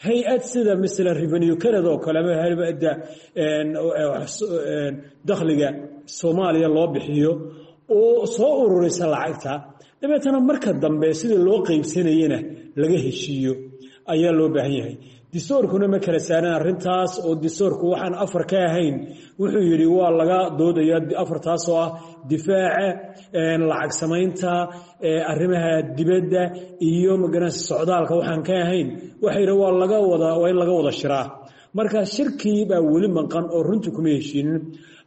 hay-ad sida masalan Revenue Canada oo kale ama hay-adda dakhliga Soomaaliya loo bixiyo oo soo ururisa lacagta, dabeetana marka dambe sidii loo qaybsanayena laga heshiiyo ayaa loo baahan yahay. Distoorkuna ma kala saaran arrintaas, oo distoorku waxaan afar ka ahayn wuxuu yidhi waa laga doodaya, afartaas oo ah difaaca, lacag samaynta, arrimaha dibadda iyo magaranaysa socdaalka waxaan ka ahayn waxa yidhi waa laga wada, waa in laga wada shiraa. Marka shirkii baa weli maqan oo runtii kuma heshiinin.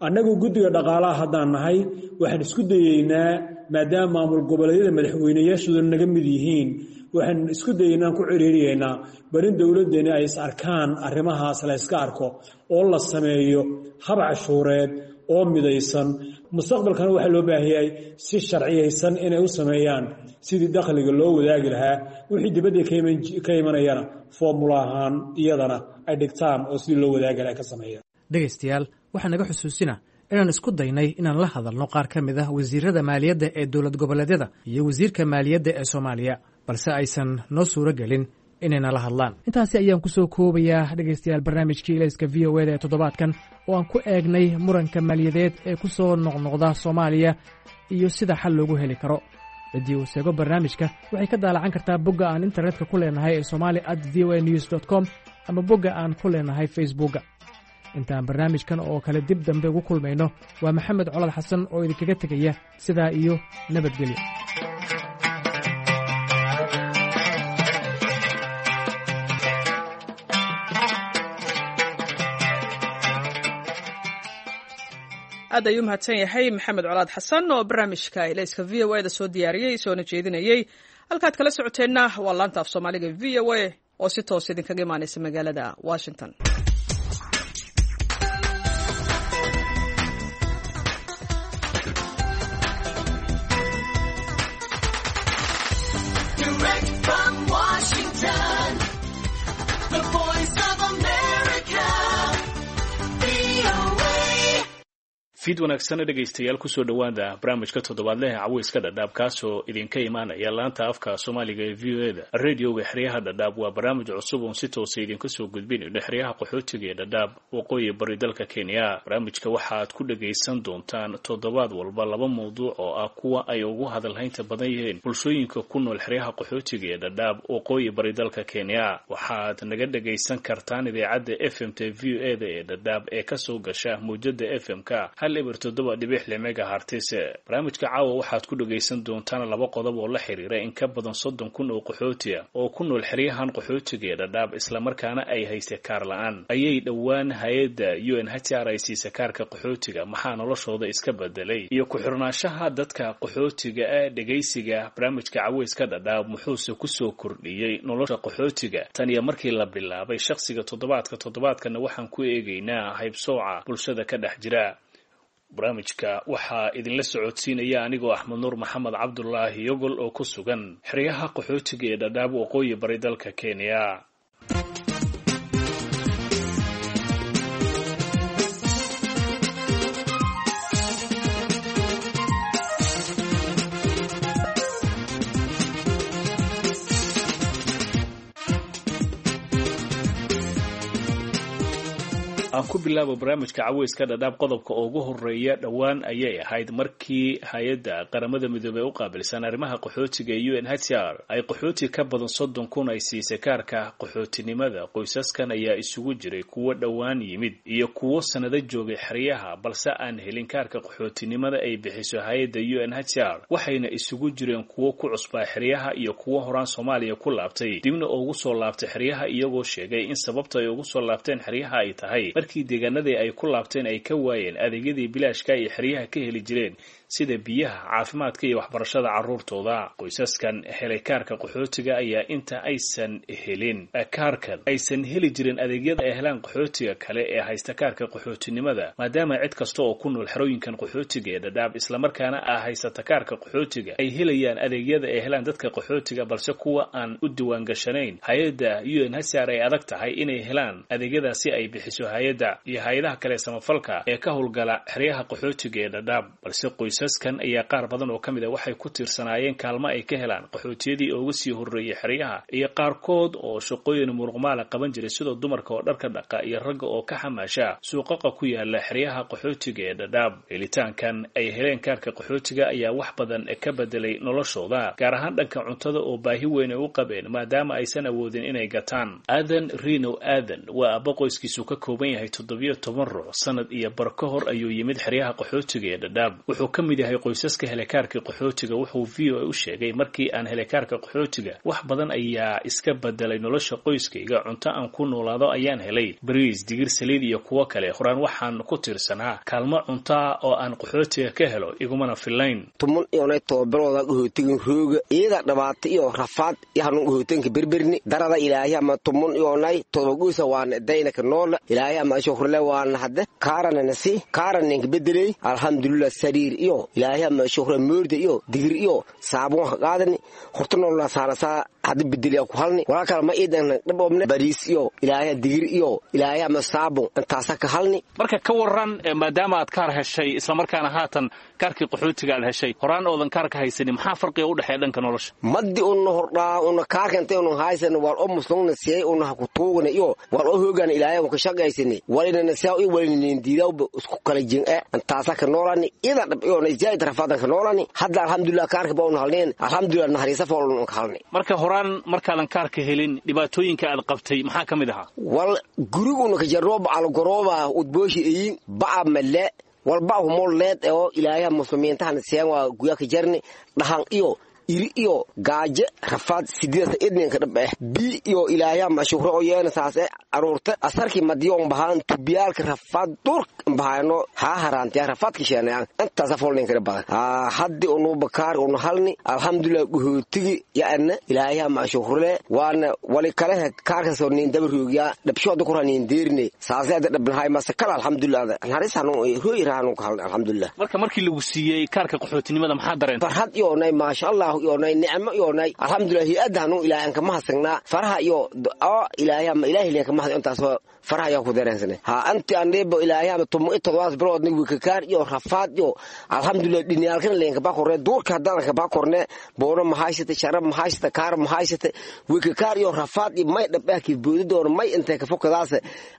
Annagu guddiga dhaqaalaha haddaan nahay waxaan isku dayeynaa, maadaama maamul goboleedyada madaxweyneyaashooda naga mid yihiin, waxaan isku dayeynaa ku ciriiriyeynaa bal in dowladdeeni ay is arkaan, arrimahaas la iska arko oo la sameeyo hab cashuureed oo midaysan. Mustaqbalkana waxaa loo baahan yahay si sharciyaysan inay u sameeyaan sidii dakhliga loo wadaagi lahaa, wixii dibadda ka imanayana foomula ahaan iyadana ay dhigtaan oo sidii loo wadaagi lahaa ka sameeyaan. Dhegaystayaal, waxaa naga xusuusina inaan isku daynay inaan la hadalno qaar ka mid ah wasiirada maaliyadda ee dowlad goboleedyada iyo wasiirka maaliyadda ee Soomaaliya, balse aysan noo suuro gelin inayna la hadlaan. Intaasi ayaan ku soo koobayaa dhegaystayaal barnaamijkii Ilayska V O eda ee toddobaadkan oo aan ku eegnay muranka maaliyadeed ee ku soo noqnoqda Soomaaliya iyo sida xal loogu heli karo. Ciddii uu seego barnaamijka waxay ka daalacan kartaa bogga aan internetka ku leenahay ee somali at v o a news dot com ama bogga aan ku leenahay Facebookga. Intaan barnaamijkan oo kale dib dambe ugu kulmayno, waa Maxamed Colad Xasan oo idinkaga tegaya sidaa iyo nabadgelyo. Aad ayuu mahadsan yahay Maxamed Colaad Xasan oo barnaamijka Ilayska V O A da soo diyaariyey soona jeedinayey. Halkaad kala socoteenna waa laanta af Soomaaliga V O A oo si toos idinkaga imaanaysa magaalada Washington. Direct from Washington, the voice of America, V O A. Fiid wanaagsan dhegaystayaal, kusoo dhowaada barnaamijka toddobaadleha caweyska Dhadhaab, kaasoo idinka imaanaya laanta afka Soomaaliga ee V O A da radioga xeryaha Dhadhaab. Waa barnaamij cusub oon si toosa idinka soo gudbinayno xeryaha qaxootiga ee Dhadhaab, waqooyi bari dalka Kenya. Barnaamijka waxaad ku dhagaysan doontaan toddobaad walba laba mawduuc oo ah kuwa ay ugu hadalhaynta badan yihiin bulshooyinka ku nool xeryaha qaxootiga ee Dhadhaab, waqooyi bari dalka Kenya. Waxaad naga dhagaysan kartaan idaacadda F M t V O A da ee Dhadhaab ee kasoo gasha muujada F M ka Hal eber toddoba dhibic lix megahertz. Barnaamijka caawa waxaad ku dhagaysan doontaan laba qodob oo la xiriira in ka badan soddon kun oo qaxooti ah oo ku nool xeryahan qaxootiga ee Dhadhaab, islamarkaana ay haystay kaar la-aan. Ayay dhowaan hay-adda U N H R ay siisay kaarka qaxootiga, maxaa noloshooda iska bedelay iyo ku-xirnaanshaha dadka qaxootiga ah. Dhegaysiga barnaamijka caweyska Dhadhaab muxuuse kusoo kordhiyey nolosha qaxootiga tan iyo markii la bilaabay shakhsiga toddobaadka? Toddobaadkana waxaan ku eegaynaa haybsooca bulshada ka dhex jira. Barnaamijka waxaa idinla socodsiinaya anigoo Axmed Nuur Maxamed Cabdulaahi Yogol oo ku sugan xeryaha qaxootiga ee Dhadhaab, waqooyi bari dalka Kenya. Aan ku bilaabo barnaamijka caweyska Dhadhaab qodobka ugu horeeya. Dhowaan ayay ahayd markii hay-adda Qaramada Midoobey u qaabilsan arrimaha qaxootiga ee U N H R ay qaxooti ka badan soddon kun ay siisay kaarka qaxootinimada. Qoysaskan ayaa isugu jiray kuwo dhowaan yimid iyo kuwo sanado joogay xeryaha, balse aan helin kaarka qaxootinimada ay bixiso hay-adda U N H R. Waxayna isugu jireen kuwo ku cusbaa xeryaha iyo kuwo horaan Soomaaliya ku laabtay, dibna ugu soo laabtay xeryaha, iyagoo sheegay in sababta ay ugu soo laabteen xeryaha ay tahay markii deegaanadii ay ku laabteen ay ka waayeen adeegyadii bilaashka ay xeryaha ka heli jireen, sida biyaha, caafimaadka iyo waxbarashada carruurtooda. Qoysaskan helay kaarka qaxootiga ayaa inta aysan helin kaarkan aysan heli jirin adeegyada ay helaan qaxootiga kale ee haysta kaarka qaxootinimada, maadaama cid kasta oo ku nool xerooyinkan qaxootiga ee Dhadhaab islamarkaana ah haysata kaarka qaxootiga ay helayaan adeegyada ay helaan dadka qaxootiga, balse kuwa aan u diiwaangashanayn hay-adda U N H R ay adag tahay inay helaan adeegyadaasi ay bixiso hay-adda iyo hay-adaha kale samafalka ee ka howlgala xeryaha qaxootiga ee Dhadhaab. Balse qoysaskan ayaa qaar badan oo ka mid a waxay ku tiirsanaayeen kaalmo ay ka helaan qaxootiyadii uga sii horreeyey xeryaha, iyo qaarkood oo shaqooyin muruqmaala qaban jiray, sidoo dumarka oo dharka dhaqa iyo ragga oo ka xamaasha suuqaqa ku yaala xeryaha qaxootiga ee Dhadhaab. Helitaankan ay heleen kaarka qaxootiga ayaa wax badan ka bedelay noloshooda, gaar ahaan dhanka cuntada oo baahi weyn ay u qabeen, maadaama aysan awoodin inay gataan. Aadan Rino Aadan waa aabbo qoyskiisu ka kooban yahay toddobiyo toban ruux. Sanad iyo bar ka hor ayuu yimid xeryaha qaxootiga ee Dhadhaab. Wuxuu ka mid yahay qoysaska helay kaarka qaxootiga. Wuxuu V O A u sheegay, markii aan helay kaarka qaxootiga wax badan ayaa iska bedelay nolosha qoyskayga. Cunto aan ku noolaado ayaan helay, bariis, digir, saliid iyo kuwo kale. Horaan waxaan ku tiirsanaa kaalmo cuntaa oo aan qaxootiga ka helo, igumana fillayn. Tumun iyonay tobabarooda qaxootigan rooga iyada dhabaata iyo rafaad iyo hanuun qaxootiganka berberni darada ilaahay ama tumun iyonay todoba goysa waana daynaka noola ilaahay ama shukrle waana hadde kaaranana si kaaraninka bedeley, alxamdulilah. Sariir iyo ilaahay ama shukre moorda iyo digir iyo saabuun ka qaadani horta noolna saarasaa hadda bedeliya ku halni walaa kale ma iidan dhaboobne bariis iyo ilaahay digir iyo ilaahay ama saabun intaasa ka halni. Marka ka waran, maadaama aad kaar heshay islamarkaana haatan kaarkii qaxootiga aad heshay, horaan oodan kaarka haysanin, maxaa farqiga u dhexeeya dhanka nolosha? Maddi una hordhaa una kaarka intay una haysan wal oo muslungna siiyay una ha ku tuugna iyo wal oo hoogan ilaahay ka shaqaysani walinana siyaa iyo walinin diidaw isku kala jin ee intaasa ka noolani ida dhab iyo zaid rafaadan ka noolani. Hadda alxamdulilah kaarka baa una halneen, alxamdulilah naxariisa foolun ka halnay. Marka horaan markaadan kaarka helin dhibaatooyinka aad qabtay maxaa ka mid ahaa? Wal guriguna ka jarooba algorooba udbooshi eyin ba'a male walba humol leed oo ilaahay muslimiintahan siyaan waa guya ka jarni dhahan iyo iri iyo gaaje rafaad sideedasa idninka dhab eh bi iyo ilaahay mashuhro oo yeena saase aroorta asarkii madiyoon bahaan tubiyaalka rafaad durk bahayno haa haraantiya rafaad ka sheenayaan intaasa foolninka badan haa. Haddi unu bakaar unu halni alxamdulilah guhootigi yaana ilaahay mashuhrole waana wali kale kaarka soo nin dabaroogiya dhabshooda ku ranin deerne saase ada dhabnahay mase kala alxamdulilah naxariis hanu hooy raanu ka halni alxamdulilah. Marka markii lagu siiyey kaarka qaxootinimada maxaa dareentay? Farxad iyo nay maasha Allah iyo nay nicmo iyo nay alxamdulilah hay-adda hanu ilaahay aan kama hasagnaa faraha iyo oo ilaahay ama ilaahay leen kama hasan intaas faraha ayaa ku dareensanay ha anti andhebo ilaahay ama tumo todobaas bilood nig wikakaar iyo rafaad iyo alxamdulilah dhiniyaalkan leen kaba korne duurka haddaan kaba korne boono mahaysata sharab mahaysata kaar mahaysata wikakaar iyo rafaad iyo may dhabah ki boodi doon may intay ka fokadaas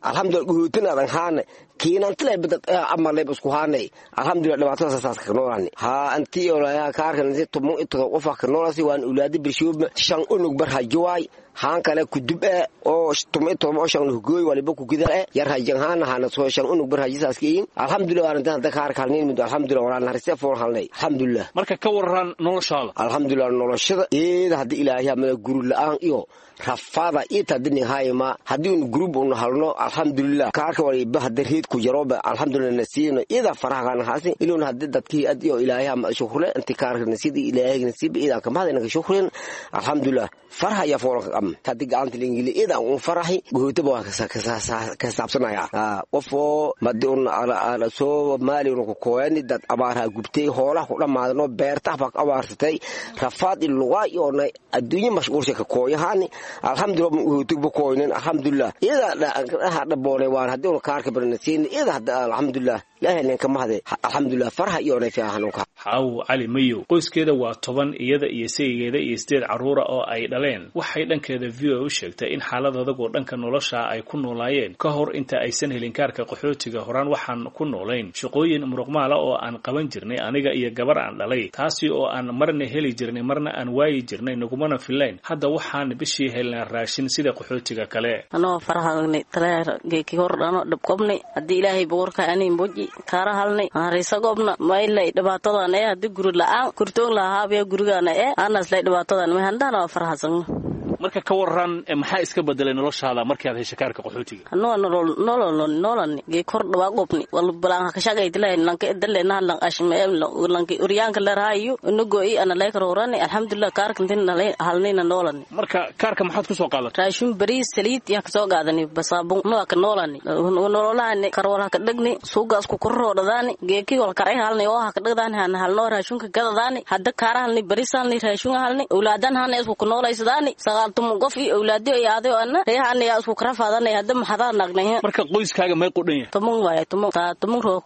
alxamdulilah guhuutinaadan haane kiinantilay bidad ama leeb isku haanay alxamdulilah dhibaatada saas ka noolaani ha anti iyo kaarkan tumo todoba qof ka noolaasi waan ulaadi birshoob shan unug bar hajuwaay. haan kale kudub e oo tumi todoba oo shan hugooy waliba kugida e yar rajan haana hana soo shan unug bar rajisaaska iin alxamdulillah waan intaan kaarka halnayn muddo alxamdulillah waan narise fool halnay alxamdulillah. Marka ka waran noloshaada? Alxamdulillah noloshada eeda haddii ilaahay amada guri la'aan iyo rafaada ita dini hayma haddii un group un halno alxamdulillah kaarka waliba hadda reed ku jarooba alxamdulillah nasiino ida faraha haasi iluun haddii dadkii ad iyo ilaahay ama shukrle inti kaarka nasiid ilaahay nasiib ida kama hadina ka shukrin alxamdulillah faraha ya foolka am haddii gacanta lingili ida un farahi gootaba waa ka saabsanaya qofoo madi un ala soo maali un ku kooyani dad abaarha gubtay hoolaha ku dhammaadano beertaha baa ka abaarsatay rafaad ilugaa iyo adduunye mashquulsha ka kooyahaani alxamdulillah uhutugba kooynin alxamdulillah iyada dhaboonay waan haddii un kaarka barnasiin iyada hadda alxamdulillah ilaahay ninka mahade alxamdulillah farha iyo nay fiihanunka. Xaawo Cali Mayow qoyskeeda waa toban, iyada iyo saygeeda iyo sideed carruura oo ay dhaleen. Waxay dhankeeda V O A u sheegtay in xaalad adag oo dhanka nolosha ay ku noolaayeen ka hor inta aysan helin kaarka qaxootiga. Horaan waxaan ku noolayn shaqooyin muruqmaala oo aan qaban jirnay aniga iyo gabar aan dhalay, taasi oo aan marna heli jirnay marna aan waayi jirnay, nagumana filayn. Hadda waxaan bishii helnaa raashin sida qaxootiga kale. Anoo farahagnay taleergeeki hor dhano dhabqobnay haddii ilaahay boqorka aniin boji kaara halnay haraysa gobna maylay dhibaatadan ee haddii guri la'aan kurtoon lahaabiya gurigaana ee aanaslay dhibaatadan may handana waa farahasagno. Marka ka waran maxaa iska bedelay noloshaada markii aad heshay kaarka qaxootiga? Anoo nolol nolol nololni gee kor dhawaa qobni wal balaan ka shaqay dilay lanka idalena lan ashme lanka uryaanka la raayo inagoo i ana lay karoorani alxamdulillah kaarka intin halnayna noolani. Marka kaarka maxaad ku soo qaadatay? Raashin bariis saliid yaa ka soo qaadanay basaabun ma ka noolani nololahani karwala ka dhigni suugaas ku korroodhadaani geeki wal karay halnay oo ha ka dhigdaani han halnoo raashinka gadadaani hadda kaara halnay bariis halnay raashin halnay awlaadan halnay isku ku noolaysadaani sagaal tumun qof iyo awlaadiyo iyo aday ana reehan ayaa isku kara faadanay hadda maxadaa naqnay. Marka qoyskaaga may qudhan yahay? Toban waaye toban taa toban roo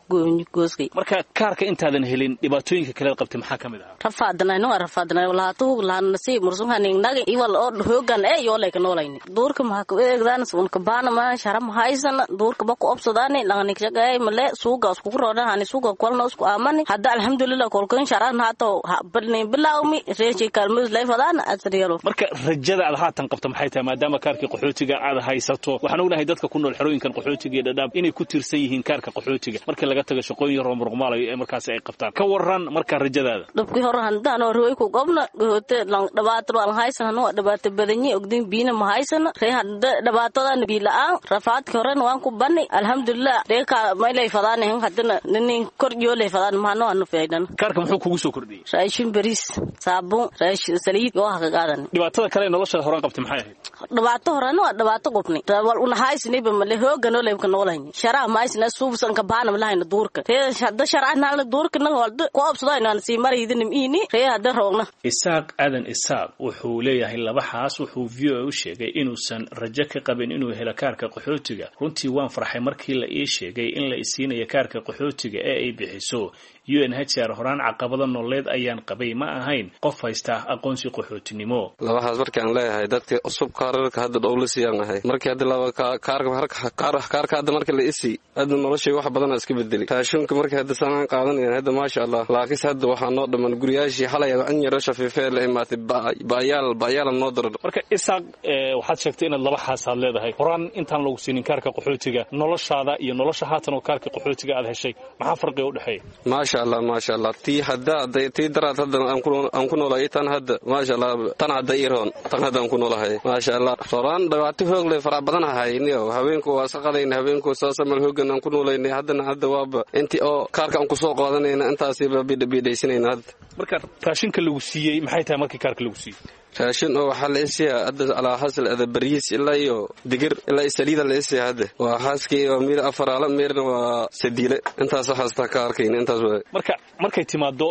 gooskay. Marka kaarka intaadan helin dhibaatooyinka kale qabtay maxaa kamid ahaa? Rafaadanay noo rafaadanay walaatu laan nasiib mursun hanin nagi iwal oo hoogan ee yoolay ka noolayni duurka maxaa ku eegdaan sun ka baana ma sharam haysan duurka ba ku obsadaani laqani shaqay male suuga isku roodhan suuga kolna isku aamani hadda alxamdulillah kolkan sharan haato balni bilawmi reeshi kalmus leefadaan asriyalo. Marka rajada aad haatan qabto maxay tahay maadaama kaarkii qaxootiga aad haysato? Waxaan ognahay dadka ku nool xerooyinkan qaxootiga iyo Dhadhaab inay ku tiirsan yihiin kaarka qaxootiga marka laga tago shaqooyin yar oo muruqmaalayo ee markaasi ay qabtaan. Ka waran marka rajadaada? Dhubkii hore handaan oo rooy ku qobna gohote lan dhibaato waan haysan oo dhibaato badanyi ogdin biina ma haysan ree hadda dhibaatadan biila'aan rafaadkii horena waan ku bani alxamdulillah ree ka maylay fadaan haddana nin kor yoolay fadaan maano aanu faydan. Kaarka muxuu kugu soo kordhiyey? Raashin bariis saabuun raashin saliid oo ha ka qaadan. Dhibaatada kale nolosha horan qabtay maxay ahayd? Dhibaato horena waa dhibaato qobnay wal una haysanayba male hoogan oo leebka noolayn sharaa ma haysana suubsan ka baana malahayn duurka ree hadda sharaan halna duurka na walda ku obsadayna aan sii maraydan iini ree hadda roogna. Isaaq Aadan Isaaq wuxuu leeyahay laba xaas. Wuxuu V O A u sheegay inuusan rajo ka qabin inuu helo kaarka qaxootiga. Runtii waan farxay markii la ii sheegay in la isiinayo kaarka qaxootiga ee ay bixiso U N H R. Horaan caqabado nololeed ayaan qabay, ma ahayn qof haysta aqoonsi qaxootinimo. Labahaas markaan leeyahay dadka cusub kaararka hadda dhowlasiiyaan ahay markii hadda laba kaarka kaarka hadda marka la isi hadda noloshay wax badan iska bedeli raashinka markii hadda sanaan qaadanayaan hadda maasha Allah. Laakiin hadda waxaa noo dhaman guriyaashii xalay an yaro shafiifee la imaatay baayaal baayaal noo daro. Marka Isaaq waxaad sheegtay inaad laba xaas aad leedahay. Horaan intaan lagu siinin kaarka qaxootiga noloshaada iyo nolosha haatan oo kaarka qaxootiga aad heshay maxaa farqiga u dhexeeya? Maasha Allah maasha Allah tii hadda tii daraad hadda aan ku noolahay tan hadda maasha Allah tan hadda iroon tan hadda aan ku noolahay maasha Allah. Horaan dhibaato hoog leh fara badan ahayniyo habeenku waa saqadayn habeenku saasamal hoogan aan ku noolaynay haddana hadda waaba intii oo kaarka aan ku soo qaadanayna intaasiba bidhbidhaysanayna hadda. Marka raashinka lagu siiyey maxay tahay markii kaarka lagu siiyey? Raashin oo waxaa la isiyaa hadda alaa xasil ada bariis ilaa iyo digir ilaa iyo saliida la isiyaa hadda waa xaaskii waa miir afaraala miirna waa sadiile intaas xaasta ka arkayna intaas waa. Marka markay timaado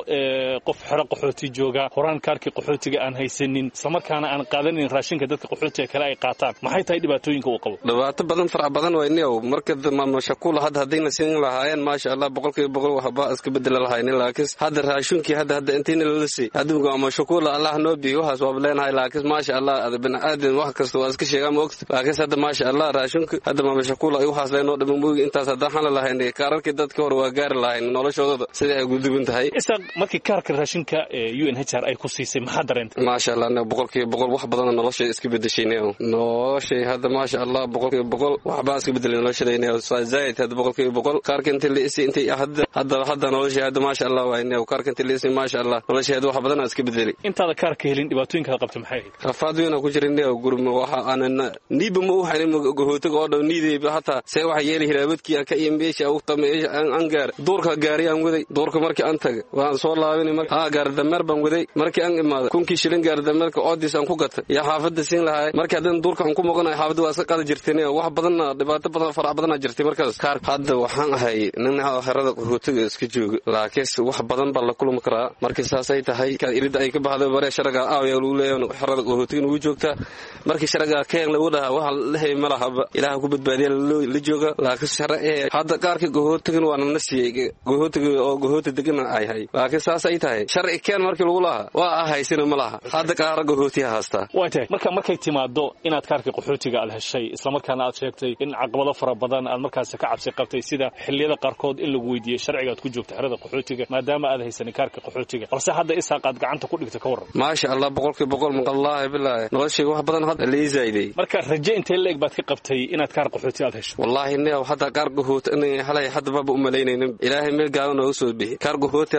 qof xero qaxooti jooga horaan kaarkii qaxootiga aan haysanin isla markaana aan qaadanin raashinka dadka qaxootiga kale ay qaataan maxay tahay dhibaatooyinka uu qabo? Dhibaato badan farac badan wayniyow marka maama shakuul hadda haddayna siin lahaayeen maasha Allah boqolkiiba boqol waxba iska bedela lahaynin. Laakiin hadda raashinkii hadda hadda intiina lala sii hadda maama shakuul Allah noo biyo waxaas waa leenahay, laakiin maasha Allah ada biniaadan wax kasta waa iska sheegaa ma ogta. Laakiin hadda maasha Allah raashinka hadda mamashakuula ay waxaas leenoo dhiman moogi, intaas haddaan xana lahayn kaararkii dadka hore waa gaari lahayn noloshoodada sida ay guduban tahay. Isaaq, markii kaarka raashinka ee U N H R ay ku siisay maxaa dareentay? Maasha Allah boqolkiiba boqol wax badan noloshay iska bedeshay. Noloshay hadda maasha Allah boqolkiiba boqol waxbaa iska bedelay noloshadayna zaid hadda boqolkiiba boqol. Kaarka inta la isi intay hadda hadda hadda noloshay hadda maasha Allah waa inay kaarka inta la isi maasha Allah noloshay hadda wax badan iska bedelay. Intaada kaarka helin dhibaatooyinka qabtay maxay ahayd? Rafaad weyn ku jirin gurma waxa aanan niiba ma u haynin gohootiga oo dhan niidayba hataa see waxa yeeli hiraabadkii aan ka iyo meesha u tamay aan gaar duurka gaari aan waday. Duurka markii aan tagay waan soo laabanay marka haa gaar dameer baan waday. Markii aan imaado kunkii shilin gaar dameerka oodis aan ku gatay yaa xaafadda siin lahay. Markii haddana duurka aan ku maqanahay xaafadda waa iska qaadi jirtay, wax badanna dhibaato badan farac badanaa jirtay markaas. Kaar hadda waxaan ahay nin xerada qaxootiga iska jooga, laakiinse wax badan baa la kulmi karaa. Markii saasay tahay iridda ay ka baxdo bare sharaga aawaya lagu leeyahay xerada qaxootiga ugu joogtaa. Markii sharaga keen lagu dhahaa waxa la hay ma lahaba, ilaaha ku badbaadiya la jooga. Laakiin shara ee hadda qaarka qaxootigan waa nana siiyey qaxootiga oo qaxooti degan ay hay, laakiin saas ay tahay sharci keen markii lagu lahaa waa ahaysina ma laha. Hadda qaar qaxootiga haystaa waa tahay. Marka markay timaado inaad kaarka qaxootiga aad heshay isla markaana aad sheegtay in caqabado fara badan aad markaas ka cabsi qabtay, sida xilliyada qaarkood in lagu weydiiyey sharciga aad ku joogto xerada qaxootiga maadaama aad haysanin kaarka qaxootiga, balse hadda Isaaq aad gacanta ku dhigto ka warran? Maasha Allah boqolkiiba boqol maqallaahi bilaahi noloshay wax badan hadda la zaayiday. Marka rajo intee leeg baad ka qabtay inaad kaar qaxooti aad hesho? Wallaahi neew hadda kaar qaxooti inay halay hadda baba u malaynaynin, ilaahay meel gaaban nooga soo bixi. Kaar qaxooti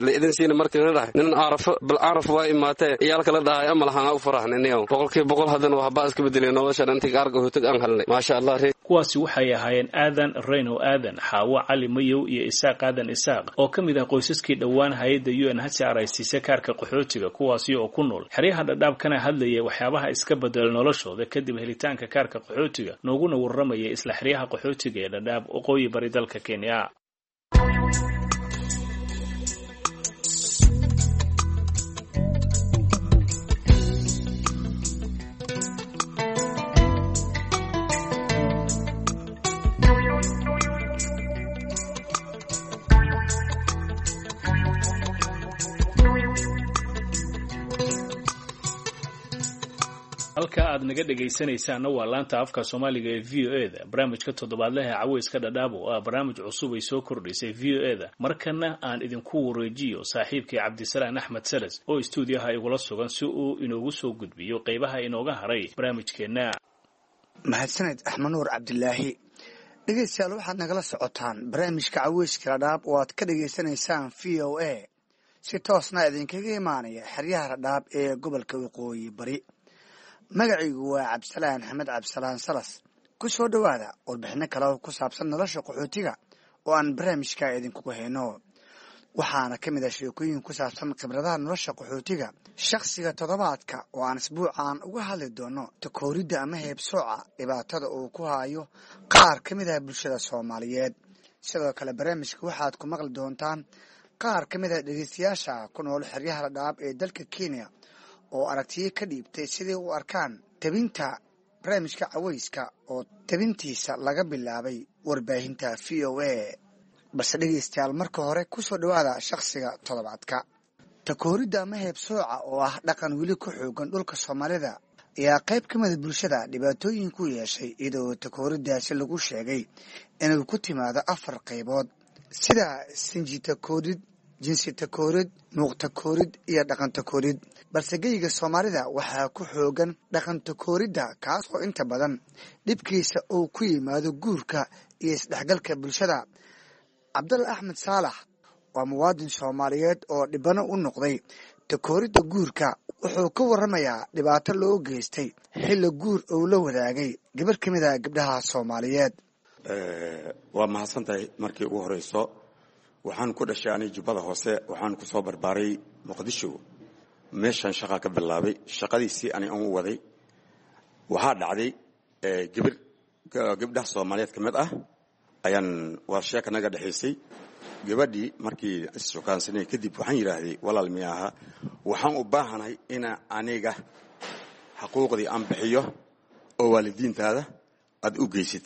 la idin siina markii la dhahay nin aarafo bal aaraf waa imaatee iyaalka la dhahay ama lahaan u faraxnay neew boqolkiiba boqol haddana waxbaa iska bedelay nolosha intii kaar qaxootiga aan helnay maasha Allah. Kuwaasi waxay ahaayeen Aadan Reyno Aadan, Xaawo Cali Mayow iyo Isaaq Aadan Isaaq oo ka mid ah qoysaskii dhowaan hay'adda U N H R ay siisay kaarka qaxootiga, kuwaasi oo ku nool xeryaha Dhadhaab kana hadlayay waxyaabaha iska bedela noloshooda kadib helitaanka kaarka qaxootiga, nooguna warramayay isla xeryaha qaxootiga ee Dhadhaab waqooyi bari dalka Kenya. Halka aad naga dhegaysanaysaanna waa laanta afka Soomaaliga ee V O A-da. Barnaamijka toddobaadlaha ee Caweyska Dhadhaab oo ah barnaamij cusub ay soo kordhisay V O A-da. Markana aan idinku wareejiyo saaxiibkii Cabdisalaan Axmed Salas oo istuudiyaha igula sugan si uu inoogu soo gudbiyo qeybaha inooga haray barnaamijkeenna. Mahadsaned Axmed Nuur Cabdilaahi. Dhegeystayaal, waxaad nagala socotaan barnaamijka Caweyska Dhadhaab oo aad ka dhegaysanaysaan V O A, si toosna idinkaga imaanaya xeryaha Dhadhaab ee gobolka Waqooyi Bari. Magacaygu waa Cabdisalaan Axmed Cabdisalaan Salas. Ku soo dhowaada warbixino kale oo ku saabsan nolosha qaxootiga oo aan barnaamijka idinkugu hayno. Waxaana ka mid ah sheekooyin ku saabsan khibradaha nolosha qaxootiga, shakhsiga toddobaadka oo aan isbuucaan uga hadli doono takooridda ama heebsooca dhibaatada uu ku hayo qaar ka mid ah bulshada Soomaaliyeed. Sidoo kale barnaamijka waxaad ku maqli doontaan qaar ka mid ah dhegeystayaasha ku nool xeryaha Dhadhaab ee dalka Kenya oo aragtiyo ka dhiibtay siday u arkaan tabinta barnaamijka caweyska oo tabintiisa laga bilaabay warbaahinta V O A. Balse dhegeystayaal, marka hore ku soo dhowaada shakhsiga toddobaadka. Takooridda ama heebsooca oo ah dhaqan weli ku xoogan dhulka Soomaalida ayaa qayb ka mida bulshada dhibaatooyin ku yeeshay, iyadoo takooriddaasi lagu sheegay inuu ku timaado afar qaybood sida sinji takoorid, jinsi takoorid, muuq takoorid iyo dhaqan takoorid. Balse geyga Soomaalida waxaa ku xoogan dhaqan takooridda, kaas oo inta badan dhibkiisa uu ku yimaado guurka iyo isdhexgalka bulshada. Cabdalla Axmed Saalax waa muwaadin Soomaaliyeed oo dhibano u noqday takooridda guurka. Wuxuu ka warramayaa dhibaato loo geystay xilli guur uu la wadaagay gabar ka mid ah gabdhaha Soomaaliyeed. Waa mahadsantahay. Markii ugu horeyso waxaan ku dhashay ani Jubbada Hoose, waxaan ku soo barbaaray Muqdisho. Meeshaan shaqa ka bilaabay, shaqadiisii ani aan u waday. Waxaa dhacday gabir gabdhaha Soomaaliyeed ka mid ah ayaan waa sheeka naga dhexaysay. Gabadhii markii issukaansanay kadib waxaan yidhaahday, walaal miya aha, waxaan u baahanahay ina aniga xaquuqdii aan bixiyo oo waalidiintaada aad u geysid,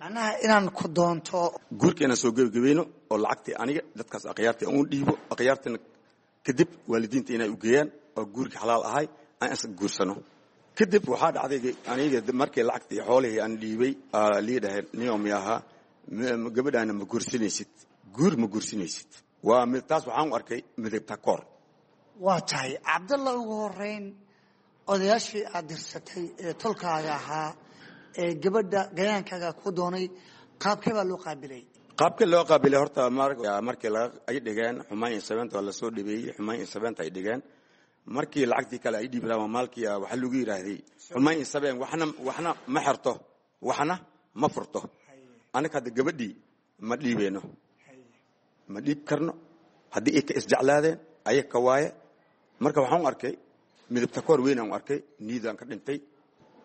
macnaha inaan ku doonto guurka inaan soo gebagabayno oo lacagtii aniga dadkaas akhyaartii aan u dhiibo, akhyaartina kadib waalidiinta inay u geeyaan oo guurka xalaal ahay Aan is guursano. Kadib waxaa dhacday aniga markii lacagtii xoolihii aan dhiibay, lii dhahay niyomi ahaa, gabadhaana ma guursanaysid, guur ma guursanaysid. Waa mid taas waxaan u arkay midabta koor. Waa tahay, Cabdalla. Ugu horeyn, odayaashii aad dirsatay ee tolkaaga ahaa ee gabadha gayaankaaga ku doonay, qaabkee baa loo qaabilay? Qaabka loo qaabilay horta markii ay dhigeen xumaan iyo sabeenta waa lasoo dhabeeyey. Xumaan iyo sabeenta ay dhigeen markii lacagtii kale ay dhiibi rabaan, maalkii waxaa lagu yidhaahday xumaan iyo sabeen, waxna waxna ma xerto, waxna ma furto. Anaga hadda gabadhii ma dhiibeyno, ma dhiib karno. Haddii ay ka isjeclaadeen ayaga ka waaye. Marka waxaan u arkay midabta koor weyn aan u arkay, niidaan ka dhintay.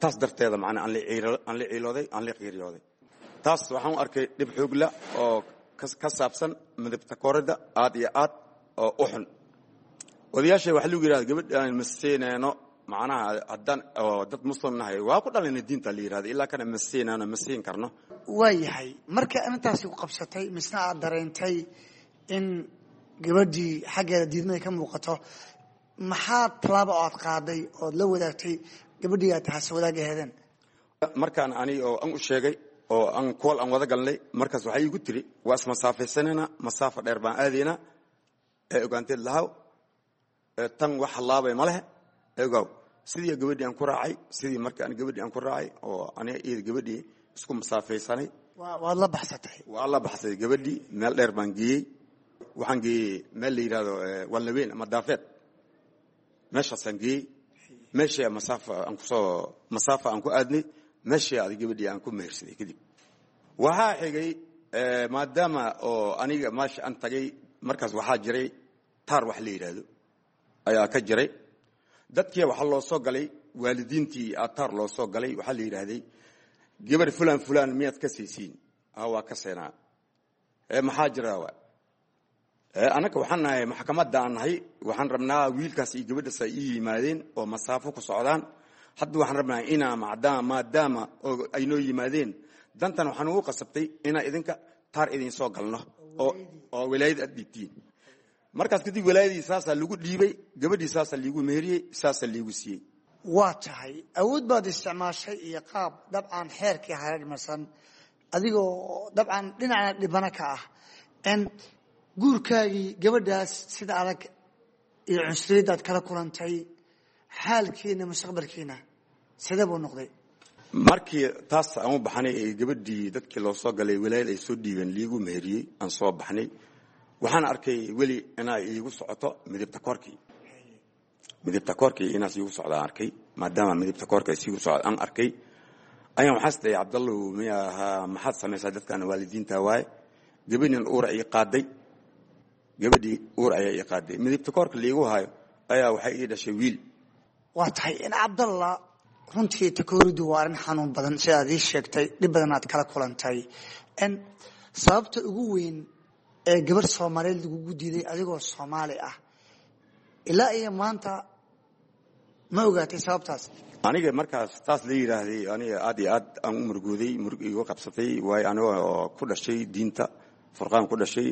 Taas darteeda macnaa aan la ciilooday, aan la qiiriyooday. Taas waxaan u arkay dhib xoogla oo ka saabsan midabta kooridda aad iyo aad oo u xun. Odayaasha waxaa lagu yidhahda gabadhaan ma siinayno, macnaha haddaan oo dad muslim nahay waa ku dhalayna diinta la yidhahda, ilaa kana ma siinayno, ma siin karno. Waa yahay. Markii arrintaasi ku qabsatay, misna aad dareentay in gabadhii xaggeeda diidmada ka muuqato, maxaa tallaaba oo aad qaaday ood la wadaagtay gabadhii aad hase wadaag aheedeen? Markaan ani oo aan u sheegay oo aan kool aan wada galnay, markaas waxay igu tiri waa ismasaafaysanayna, masaafo dheer baan aadaynaa ee ogaanteed lahaw, tan wax hallaabay ma lehe, ogow. Sidii gabadhii aan ku raacay, sidii marka aan gabadhii aan ku raacay oo aniga iyada gabadhii isku masaafaysanay. Waad la baxsatay? Waa la baxsatay gabadhii, meel dheer baan geeyey. Waxaan geeyey meel la yidhahdo Wallaweyn ama Daafeed, meeshaasaan geeyey. Meeshii masaafa aan kusoo masaafa aan ku aadnay, meeshii aad gabadhii aan ku mehersaday. Kadib waxaa xigay, maadaama oo aniga meesha aan tagay markaas waxaa jiray taar wax la yidhaahdo ayaa ka jiray. Dadkii waxaa loo soo galay, waalidiintii taar loo soo galay. Waxaa la yidhaahday gabar fulan fulan miyaad ka saysiin? Ha, waa ka seenaa. Maxaa jira? Wa annaga waxaan nahay maxkamadda aan nahay, waxaan rabnaa wiilkaas iyo gabadhaas ay ii yimaadeen oo masaafo ku socdaan. Hadda waxaan rabnaa inaa macdaama maadaama oo ay noo yimaadeen, dantan waxaan ugu qasabtay inaa idinka taar idin soo galno oo oo walaayad aad dhiibtiin. Markaas kadib walaayadii saasaa lagu dhiibay, gabadhii saasaa liigu meheriyey, saasaa liigu siiyey. Waa tahay, awood baad isticmaashay iyo qaab dabcan xeerkii hareermarsan, adigoo dabcan dhinacna dhibano ka ah n guurkaagii gabadhaas sida adag iyo cunsuriyadda aad kala kulantay, xaalkiina mustaqbalkiina sidee buu noqday? Markii taas aan u baxnay ee gabadhii dadkii loo soo galay, walaayad ay soo dhiibeen, liigu meheriyey, aan soo baxnay, waxaan arkay weli inay iigu socoto midibta koorkii. Midibta koorkii inaas iigu socda aan arkay. Maadaama midibta koorka ay siigu socda aan arkay, ayaan waxaas dhahay, Cabdallow, miya ahaa, maxaad samaysaa? Dadkan waalidiinta waaye. Gabadhin uur ay qaaday, gabadhii uur ayaa ii qaaday. Midibta koorka liigu hayo ayaa waxay ii dhashay wiil. Waa tahay in Cabdalla, runtii takooridu waa arrin xanuun badan sidaad ii sheegtay, dhib badan aad kala kulantay. N sababta ugu weyn ee gabarh Soomaaliyeed lagugu diiday adigoo Soomaali ah, ilaa iyo maanta ma ogaatay sababtaas? Aniga markaas taas la yidhaahday, aniga aad iyo aad aan u murugooday, murug iigu qabsatay. Waayo aniga oo ku dhashay diinta Furqaan ku dhashay